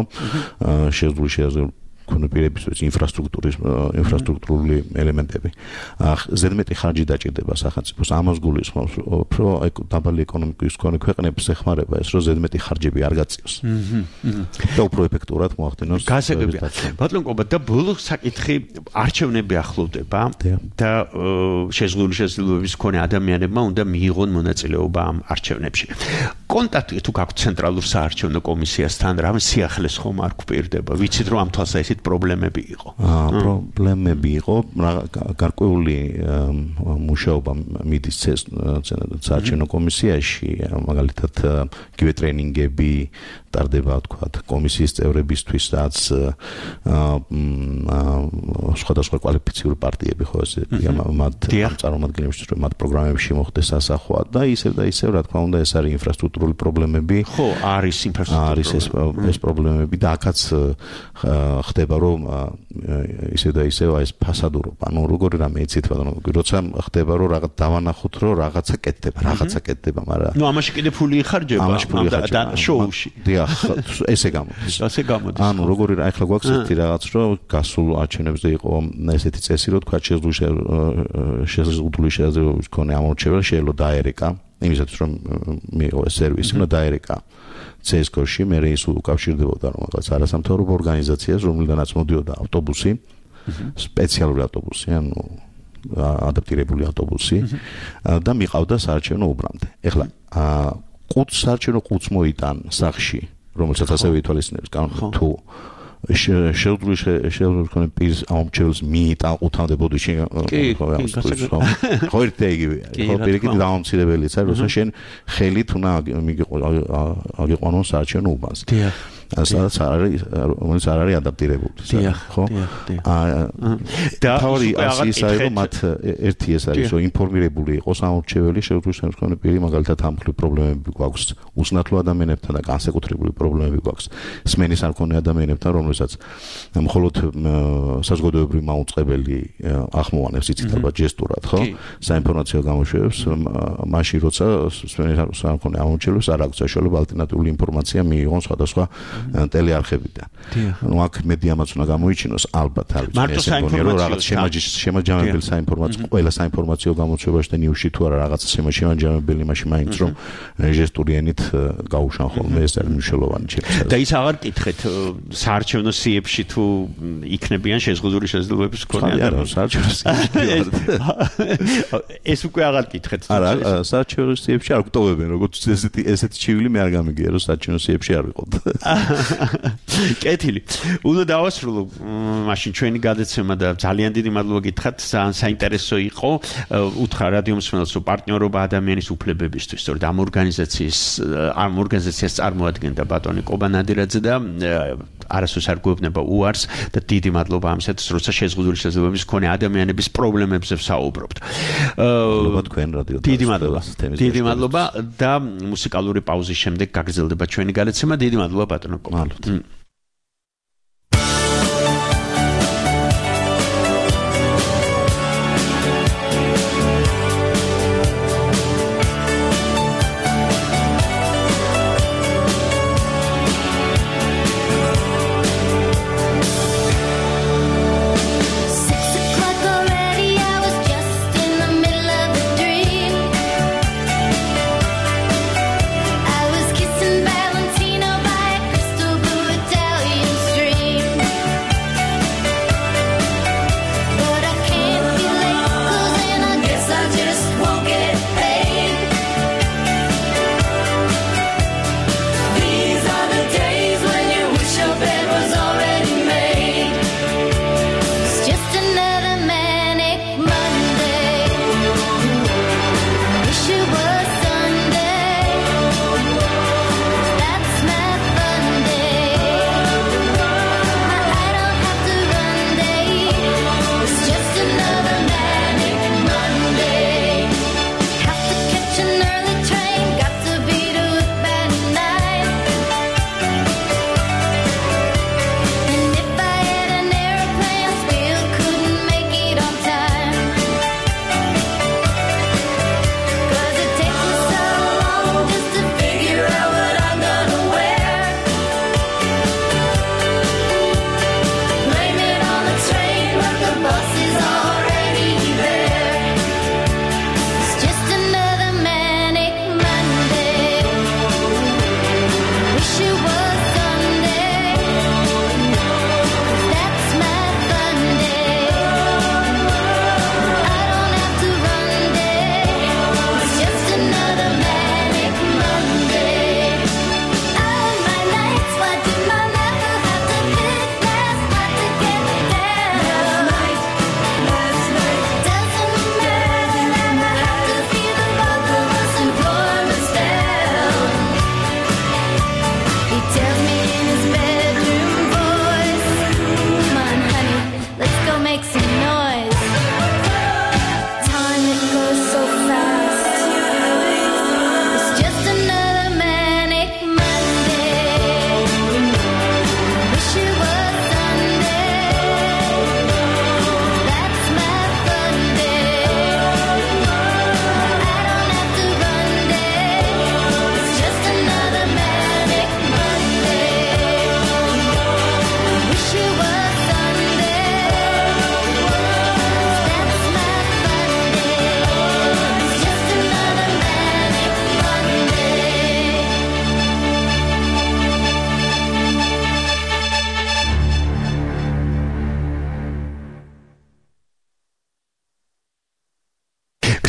Speaker 9: შეზღუდული შემდგომი კონპირების ინფრასტრუქტურის ინფრასტრუქტურული ელემენტები. ზედმეტი ხარჯი დაჭირდება სახელმწიფოს ამას გულისხმობს, რომ დაბალი ეკონომიკის მქონე ქვეყნებს ეხმარება ეს, რომ ზედმეტი ხარჯები არ გაწიოს. და უფრო ეფექტურად მოახდინოს.
Speaker 4: გასაგებია. ბატონ კობა და ბოლო საკითხი არჩევნები ახლოვდება და შეზღუდული შესაძლებლობების მქონე ადამიანებმა უნდა მიიღონ მონაწილეობა ამ არჩევნებში. კონტაქტი თუ გაქვთ ცენტრალურ საარჩევნო კომისიასთან, რამ სიახლეს ხომ არ გვპირდება. ვიცით რომ ამ თვალსაზრისით პრობლემები იყო.
Speaker 9: პრობლემები იყო, გარკვეული მუშაობა მიდის საარჩევნო კომისიაში, მაგალითად იგივე ტრენინგები ტარდება, თქვათ, კომისიის წევრებისთვის, რაც სხვადასხვა კვალიფიციური პარტიები ხო ესე მათ წარმომადგენლებისთვის, რომ მათ პროგრამებში მოხდეს ასახვა და ისევ და ისევ, რა თქმა უნდა, ეს არის ინფრასტრუქტურული პრობლემები.
Speaker 4: ხო, არის ინფრასტრუქტურული.
Speaker 9: არის ეს ეს პრობლემები და აქაც ხდება რომ ისე და ისე ეს ფასადურობა, ანუ როგორი რამე იცით ბატონო, როცა ხდება რომ რაღაც დავანახოთ რომ რაღაცა კეთდება, რაღაცა კეთდება, მაგრამ
Speaker 4: ნუ ამაში კიდე ფული იხარჯება და შოუში.
Speaker 9: დიახ, ესე გამოდის.
Speaker 4: ასე გამოდის.
Speaker 9: ანუ როგორი რა ახლა გვაქვს ერთი რაღაც რომ გასულ არჩევნებზე იყო ესეთი წესი რომ თქვა შეზღუდული შეზღუდული შესაძლებლობის მქონე ამორჩეველი შეიძლება დაერეკა, იმისათვის რომ მიიღო ეს სერვისი, უნდა დაერეკა ცესკოში, მე ის უკავშირდებოდა რომელსაც არასამთავრობო ორგანიზაციას, რომლიდანაც მოდიოდა ავტობუსი, სპეციალური ავტობუსი, ანუ ადაპტირებული ავტობუსი და მიყავდა საარჩევნო უბრამდე. ეხლა ყუთს საარჩევნო ყუთს მოიტან სახში, რომელსაც ასევე ითვალისწინებს კანონი თუ შეზღუდული შესაძლებლობის პირის ამორჩეველს მიიტან ყუთამდე ბოდიში ხო ერთი იგივეა ხო პირიქით დამამცირებელიც არის როცა შენ ხელით უნდა აგიყვანონ საარჩევნო უბანს სადაც არის რომელიც არ არის ადაპტირებული ხო და თავი ის არის რომ მათ ერთი ეს არის რომ ინფორმირებული იყოს ამორჩეველი შეზღუდული შემდგომი პირი მაგალითად ამ ხრი პრობლემები გვაქვს უსნათლო ადამიანებთან და განსაკუთრებული პრობლემები გვაქვს სმენის არ მქონე ადამიანებთან რომელსაც მხოლოდ საზოგადოებრივი მაუწყებელი ახმოვანებს იცით ალბათ ჯესტურად ხო საინფორმაციო გამოშვებებს მაშინ როცა სმენის არ მქონე ამორჩეველს არ აქვს საშუალება ალტერნატიული ინფორმაცია მიიღონ სხვადასხვა ტელეარხებიდან. ნუ აქ მედიამაც უნდა გამოიჩინოს ალბათ არის ესე მგონია რომ რაღაც შემაჯამებელი საინფორმაციო ყველა საინფორმაციო გამოშვებაში და ნიუსში თუ არა რაღაც შემაჯამებელი მაშინ მაინც რომ ჟესტური ენით გაუშან ხოლმე ეს არის მნიშვნელოვანი ჩემთვის.
Speaker 4: და ის აღარ კითხეთ საარჩევნო სიებში თუ იქნებიან შეზღუდული შესაძლებლობების მქონე
Speaker 9: ადამიანები. არა, საარჩევნო სიებში.
Speaker 4: ეს უკვე აღარ კითხეთ.
Speaker 9: არა, საარჩევნო სიებში არ გვტოვებენ, როგორც ესეთი ესეთი ჩივილი მე არ გამიგია რომ საარჩევნო სიებში არ ვიყოთ.
Speaker 4: კეთილი. უნდა დავასრულო მაშინ ჩვენი გადაცემა და ძალიან დიდი მადლობა გითხრათ. ძალიან საინტერესო იყო. უთხრა რადიო მსმენელს რომ პარტნიორობა ადამიანის უფლებებისთვის, სწორედ ამ ორგანიზაციის ამ ორგანიზაციას წარმოადგენდა ბატონი კობა ნადირაძე და არასდროს არ გვეუბნება უარს და დიდი მადლობა ამისათვის, როცა შეზღუდული შესაძლებლობების მქონე ადამიანების პრობლემებზე ვსაუბრობთ.
Speaker 9: მადლობა თქვენ რადიო.
Speaker 4: დიდი მადლობა. დიდი მადლობა და მუსიკალური პაუზის შემდეგ გაგრძელდება ჩვენი გადაცემა. დიდი მადლობა ბატონო კობა.
Speaker 11: I was kissing Valentino by a crystal blue.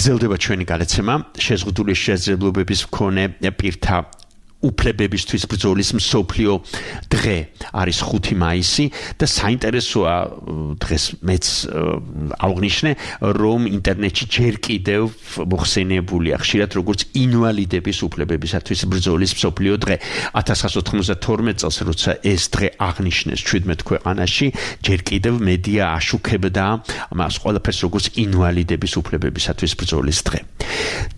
Speaker 4: გრძელდება ჩვენი გადაცემა შეზღუდული შესაძლებლობების მქონე პირთა უფლებებისთვის ბრძოლის მსოფლიო დღე არის ხუთი მაისი და საინტერესოა დღეს მეც აღნიშნე რომ ინტერნეტში ჯერ კიდევ მოხსენიებულია ხშირად როგორც ინვალიდების უფლებებისათვის ბრძოლის მსოფლიო დღე ათას ცხრაასა ოთხმოცდათორმეტ წელს როცა ეს დღე აღნიშნეს ჩვიდმეტ ქვეყანაში ჯერ კიდევ მედია აშუქებდა მას ყველაფერს როგორც ინვალიდების უფლებებისათვის ბრძოლის დღე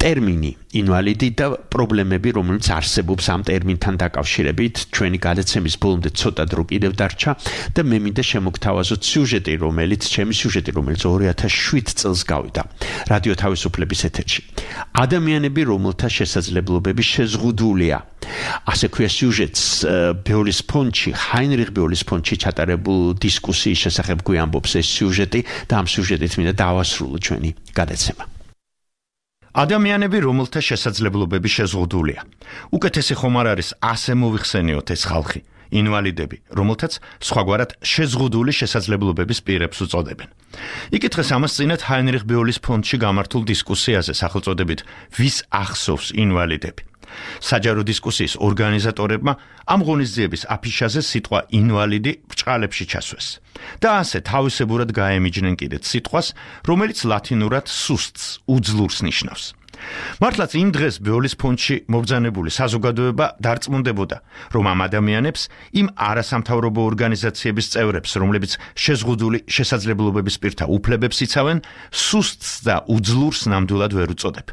Speaker 4: ტერმინი ინვალიდი და პრობლემები რომელიც არსებობს ამ ტერმინთან დაკავშირებით ჩვენი გადაცემის ბოლომდე ცოტა დრო კიდევ დარჩა და მე მინდა შემოგთავაზოთ სიუჟეტი რომელიც ჩემი სიუჟეტი რომელიც ორი ათას შვიდ წელს გავიდა რადიო თავისუფლების ეთერში ადამიანები რომელთა შესაძლებლობები შეზღუდულია ასე ქვია სიუჟეტს ბეოლის ფონდში ჰაინრიხ ბეოლის ფონდში ჩატარებულ დისკუსიის შესახებ გვიამბობს ეს სიუჟეტი და ამ სიუჟეტით მინდა დავასრულო ჩვენი გადაცემა ადამიანები რომელთა შესაძლებლობები შეზღუდულია. უკეთესი ხომ არ არის ასე მოვიხსენიოთ ეს ხალხი, ინვალიდები, რომელთაც სხვაგვარად შეზღუდული შესაძლებლობების პირებს უწოდებენ. იკითხეს ამას წინათ ჰაინრიხ ბეოლის ფონდში გამართულ დისკუსიაზე სახელწოდებით ვის ახსოვს ინვალიდები. საჯარო დისკუსიის ორგანიზატორებმა ამ ღონისძიების აფიშაზე სიტყვა ინვალიდი ბრჭყალებში ჩასვეს. და ასე თავისებურად გაემიჯნენ კიდეც სიტყვას, რომელიც ლათინურად სუსტს, უძლურს ნიშნავს. მართლაც იმ დღეს ბეოლის ფონდში მობრძანებული საზოგადოება დარწმუნდებოდა, რომ ამ ადამიანებს, იმ არასამთავრობო ორგანიზაციების წევრებს, რომლებიც შეზღუდული შესაძლებლობების პირთა უფლებებს იცავენ, სუსტს და უძლურს ნამდვილად ვერ უწოდებ.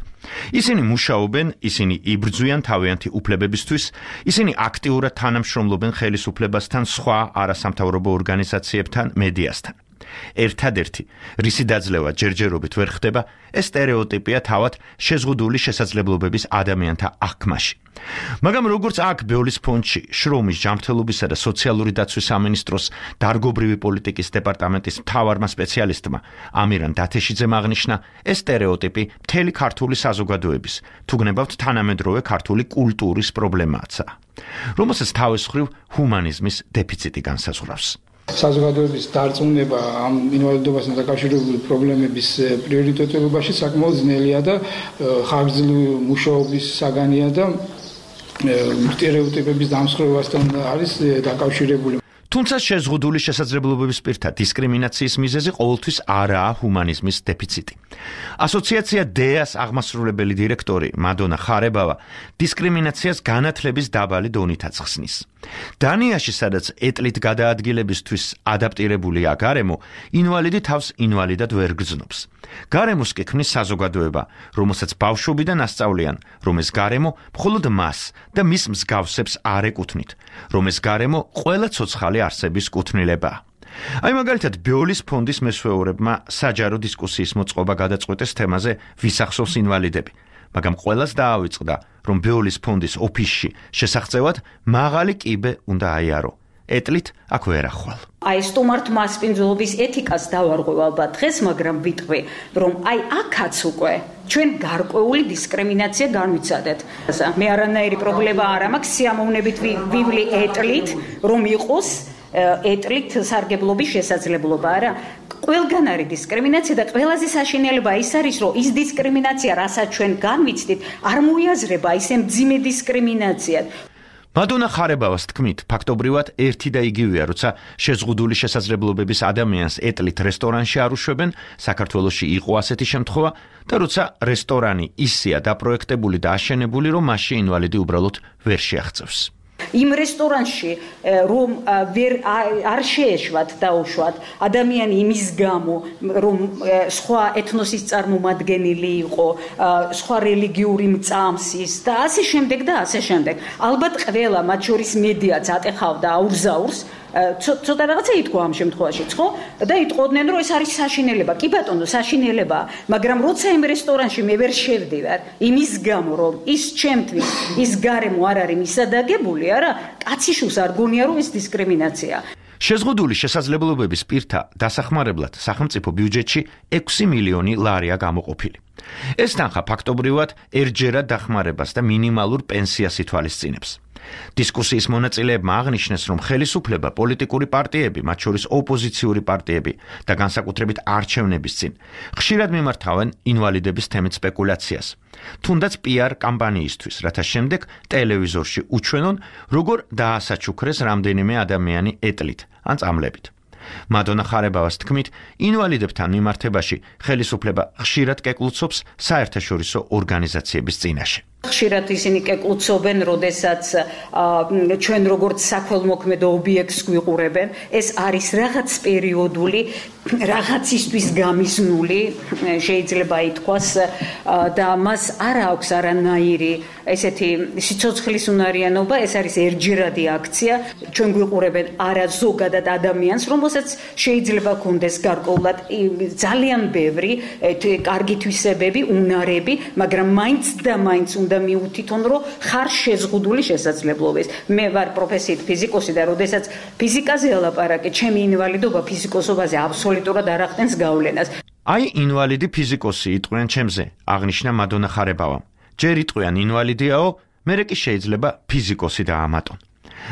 Speaker 4: ისინი მუშაობენ, ისინი იბრძვიან თავიანთი უფლებებისთვის, ისინი აქტიურად თანამშრომლობენ ხელისუფლებასთან, სხვა არასამთავრობო ორგანიზაციებთან, მედიასთან. ერთადერთი, რისი დაძლევა ჯერჯერობით ვერ ხდება, ეს სტერეოტიპია თავად შეზღუდული შესაძლებლობების ადამიანთა აღქმაში. მაგრამ როგორც აქ ბეოლის ფონდში, შრომის, ჯანმრთელობისა და სოციალური დაცვის სამინისტროს დარგობრივი პოლიტიკის დეპარტამენტის მთავარმა სპეციალისტმა ამირან დათეშიძემ აღნიშნა, ეს სტერეოტიპი მთელი ქართული საზოგადოების, თუ გნებავთ თანამედროვე ქართული კულტურის პრობლემააცაა, რომელსაც თავის მხრივ ჰუმანიზმის დეფიციტი განსაზღვრავს.
Speaker 11: საზოგადოების დარწმუნება ამ ინვალიდობასთან დაკავშირებული პრობლემების პრიორიტეტებობაში საკმაოდ ძნელია და ხანგრძლივი მუშაობის საგანია და სტერეოტიპების დამსხვრევასთან არის დაკავშირებული.
Speaker 4: თუმცა შეზღუდული შესაძლებლობების პირთა დისკრიმინაციის მიზეზი ყოველთვის არაა ჰუმანიზმის დეფიციტი. ასოციაცია დეას აღმასრულებელი დირექტორი მადონა ხარებავა დისკრიმინაციას განათლების დაბალი დონით აცხსნის. დანიაში, სადაც ეტლით გადაადგილებისთვის ადაპტირებულია გარემო, ინვალიდი თავს ინვალიდად ვერ გრძნობს. გარემოს კი ქმნის საზოგადოება, რომელსაც ბავშვობიდან ასწავლიან, რომ ეს გარემო მხოლოდ მას და მის მსგავსებს არ ეკუთვნით, რომ ეს გარემო ყველა ცოცხალი არსების კუთვნილებაა. აი მაგალითად ბეოლის ფონდის მესვეურებმა საჯარო დისკუსიის მოწყობა გადაწყვეტეს თემაზე ვის ახსოვს ინვალიდები. მაგრამ ყველას დაავიწყდა, რომ ბეოლის ფონდის ოფისში შესახწევად მაღალი კიბე უნდა აიარო. ეტლით აქ ვერ ახვალ.
Speaker 12: აი სტუმართ მასპინძლობის ეთიკას დავარღვევ ალბათ დღეს, მაგრამ ვიტყვი, რომ აი აქაც უკვე ჩვენ გარკვეული დისკრიმინაცია განვიცადეთ. მე არანაირი პრობლემა არ მაქვს სიამოვნებით ვივლი ეტლით, რომ იყოს ეტლით სარგებლობის შესაძლებლობა, არა? ყველგან არის დისკრიმინაცია და ყველაზე საშინელება ის არის, რომ ის დისკრიმინაცია, რასაც ჩვენ განვიცდით, არ მოიაზრება ისე მძიმე დისკრიმინაციად.
Speaker 4: მადონა ხარებავას თქმით, ფაქტობრივად ერთი და იგივეა, როცა შეზღუდული შესაძლებლობების ადამიანს ეტლით რესტორანში არ უშვებენ, საქართველოში იყო ასეთი შემთხვევა და როცა რესტორანი ისეა დაპროექტებული და აშენებული, რომ მასში ინვალიდი უბრალოდ ვერ შეაღწევს.
Speaker 12: იმ რესტორანში რომ ვერ არ შეეშვათ დაუშვათ ადამიანი იმის გამო რომ სხვა ეთნოსის წარმომადგენელი იყო, სხვა რელიგიური მწამსის და ასე შემდეგ და ასე შემდეგ. ალბათ ყველა მათ შორის მედიაც ატეხავდა აურზაურს ცოტა რაღაცა ითქვა ამ შემთხვევაში, ხო? და იტყოდნენ, რომ ეს არის საშინელება. კი ბატონო, საშინელებაა, მაგრამ როცა იმ რესტორანში მე ვერ შევდივარ, იმის გამო, რომ ის ჩემთვის ის გარემო არ არის მისადაგებული, არა, კაცი შუს არ გონია, რომ ეს დისკრიმინაციაა.
Speaker 4: შეზღუდული შესაძლებლობების პირთა დასახმარებლად სახელმწიფო ბიუჯეტში ექვსი მილიონი ლარია გამოყოფილი. ეს თანხა ფაქტობრივად ერთჯერად დახმარებას და მინიმალურ პენსიას ითვალისწინებს. დისკუსიის მონაწილეებმა აღნიშნეს, რომ ხელისუფლება პოლიტიკური პარტიები, მათ შორის ოპოზიციური პარტიები და განსაკუთრებით არჩევნების წინ ხშირად მიმართავენ ინვალიდების თემით სპეკულაციას, თუნდაც პი არ კამპანიისთვის, რათა შემდეგ ტელევიზორში უჩვენონ, როგორ დაასაჩუქრეს რამდენიმე ადამიანი ეტლით ან წამლებით. მადონა ხარებავას თქმით, ინვალიდებთან მიმართებაში ხელისუფლება ხშირად კეკლუცობს საერთაშორისო ორგანიზაციების წინაშე.
Speaker 12: ხშირად ისინი კეკლუცობენ, როდესაც ჩვენ როგორც საქველმოქმედო ობიექტს გვიყურებენ, ეს არის რაღაც პერიოდული, რაღაცისთვის გამიზნული, შეიძლება ითქვას, და მას არ აქვს არანაირი ესეთი სიცოცხლის უნარიანობა, ეს არის ერთჯერადი აქცია, ჩვენ გვიყურებენ არა ზოგადად ადამიანს, რომელსაც შეიძლება ქონდეს გარკვეულად ძალიან ბევრი კარგი თვისებები, უნარები, მაგრამ მაინც და მაინც უნდა მიუთითონ, რომ ხარ შეზღუდული შესაძლებლობების. მე ვარ პროფესიით ფიზიკოსი და როდესაც ფიზიკაზე ელაპარაკე, ჩემი ინვალიდობა ფიზიკოსობაზე აბსოლუტურად არ ახდენს გავლენას.
Speaker 4: აი ინვალიდი ფიზიკოსი იტყვიან ჩემზე, აღნიშნა მადონა ხარებავამ. ჯერ იტყვიან ინვალიდიაო, მერე კი შეიძლება ფიზიკოსი დაამატონ.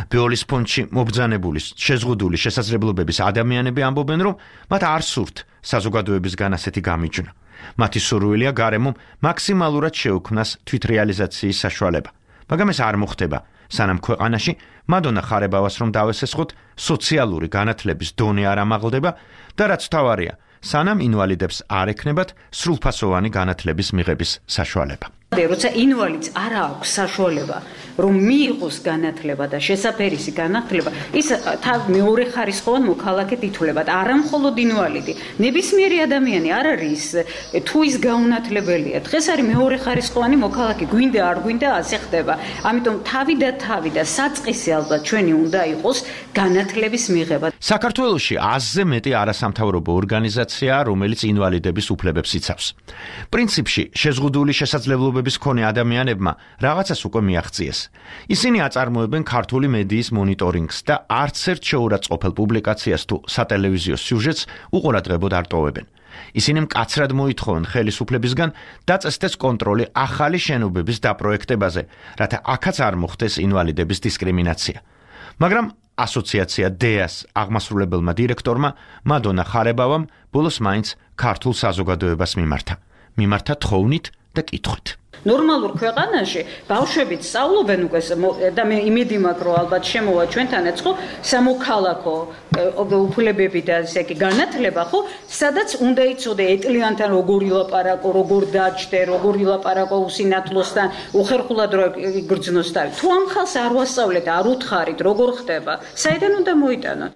Speaker 4: ბეოლის ფონდში მობრძანებული შეზღუდული შესაძლებლობების ადამიანები ამბობენ, რომ მათ არ სურთ საზოგადოებისგან ასეთი გამიჯვნა. მათი სურვილია გარემომ მაქსიმალურად შეუქმნას თვითრეალიზაციის საშუალება. მაგრამ ეს არ მოხდება, სანამ ქვეყანაში მადონა ხარებავას რომ დავესესხოთ, სოციალური განათლების დონე არ ამაღლდება და რაც თავარია, სანამ ინვალიდებს არ ექნებათ სრულფასოვანი განათლების მიღების საშუალება.
Speaker 12: როცა ინვალიდს არ აქვს საშუალება, რომ მიიღოს განათლება და შესაფერისი განათლება, ის თავ მეორე ხარისხოვან მოქალაქედ ითვლება. არა მხოლოდ ინვალიდი, ნებისმიერი ადამიანი არ არის თუ ის გაუნათლებელია. დღეს არის მეორე ხარისხოვანი მოქალაქე, გვინდა არ გვინდა ასე ხდება. ამიტომ თავი და თავი და საწყისი ალბათ ჩვენი უნდა იყოს განათლების მიღება.
Speaker 4: საქართველოში ათზე მეტი არასამთავრობო ორგანიზაციაა, რომელიც ინვალიდების უფლებებს იცავს. პრინციპში შეზღუდული შესაძლებლობების მქონე ადამიანებმა რაღაცას უკვე მიაღწიეს. ისინი აწარმოებენ ქართული მედიის მონიტორინგს და არც ერთ შეურაცხყოფელ პუბლიკაციას თუ სატელევიზიო სიუჟეტს უყურადღებოდ არ ტოვებენ. ისინი მკაცრად მოითხოვენ ხელისუფლებისგან დაწესდეს კონტროლი ახალი შენობების დაპროექტებაზე, რათა აქაც არ მოხდეს ინვალიდების დისკრიმინაცია. მაგრამ ასოციაცია დეას აღმასრულებელმა დირექტორმა მადონა ხარებავამ ბოლოს მაინც ქართულ საზოგადოებას მიმართა. მიმართა თხოვნით და კითხვით.
Speaker 12: ნორმალურ ქვეყანაში ბავშვებიც სწავლობენ უკვე და მე იმედი მაქვს, რომ ალბათ შემოვა ჩვენთანაც ხო სამოქალაქო უფლებები და ესე იგი განათლება, ხო, სადაც უნდა იცოდე ეტლიანთან როგორ ილაპარაკო, როგორ დაჯდე, როგორ ილაპარაკო უსინათლოსთან, უხერხულად რო იგრძნოს თავი. თუ ამ ხალხს არ ვასწავლეთ, არ უთხარით, როგორ ხდება, საიდან უნდა მოიტანოთ?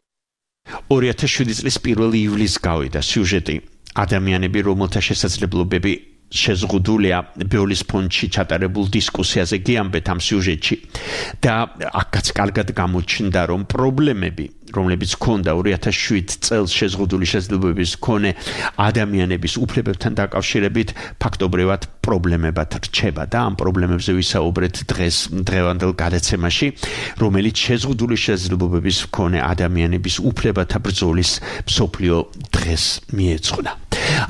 Speaker 4: ორი ათას შვიდი წლის პირველი ივლისს გავიდა სიუჟეტი ადამიანები, რომელთა შესაძლებლობები შეზღუდულია ბეოლის ფონდში ჩატარებულ დისკუსიაზე გიამბეთ ამ სიუჟეტში და აქაც კარგად გამოჩნდა, რომ პრობლემები, რომლებიც ჰქონდა ორი ათას შვიდი წელს შეზღუდული შესაძლებლობების მქონე ადამიანების უფლებებთან დაკავშირებით, ფაქტობრივად პრობლემებად რჩება და ამ პრობლემებზე ვისაუბრეთ დღეს დღევანდელ გადაცემაში, რომელიც შეზღუდული შესაძლებლობების მქონე ადამიანების უფლებათა ბრძოლის მსოფლიო დღეს მიეძღვნა.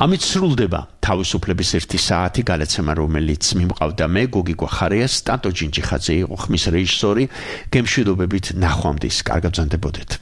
Speaker 4: ამით სრულდება თავისუფლების ერთი საათი გადაცემა, რომელიც მიმყავდა მე, გოგი გვახარია, სტატო ჯინჯიხაძე იყო ხმის რეჟისორი. გემშვიდობებით ნახვამდის, კარგად ბრძანდებოდეთ.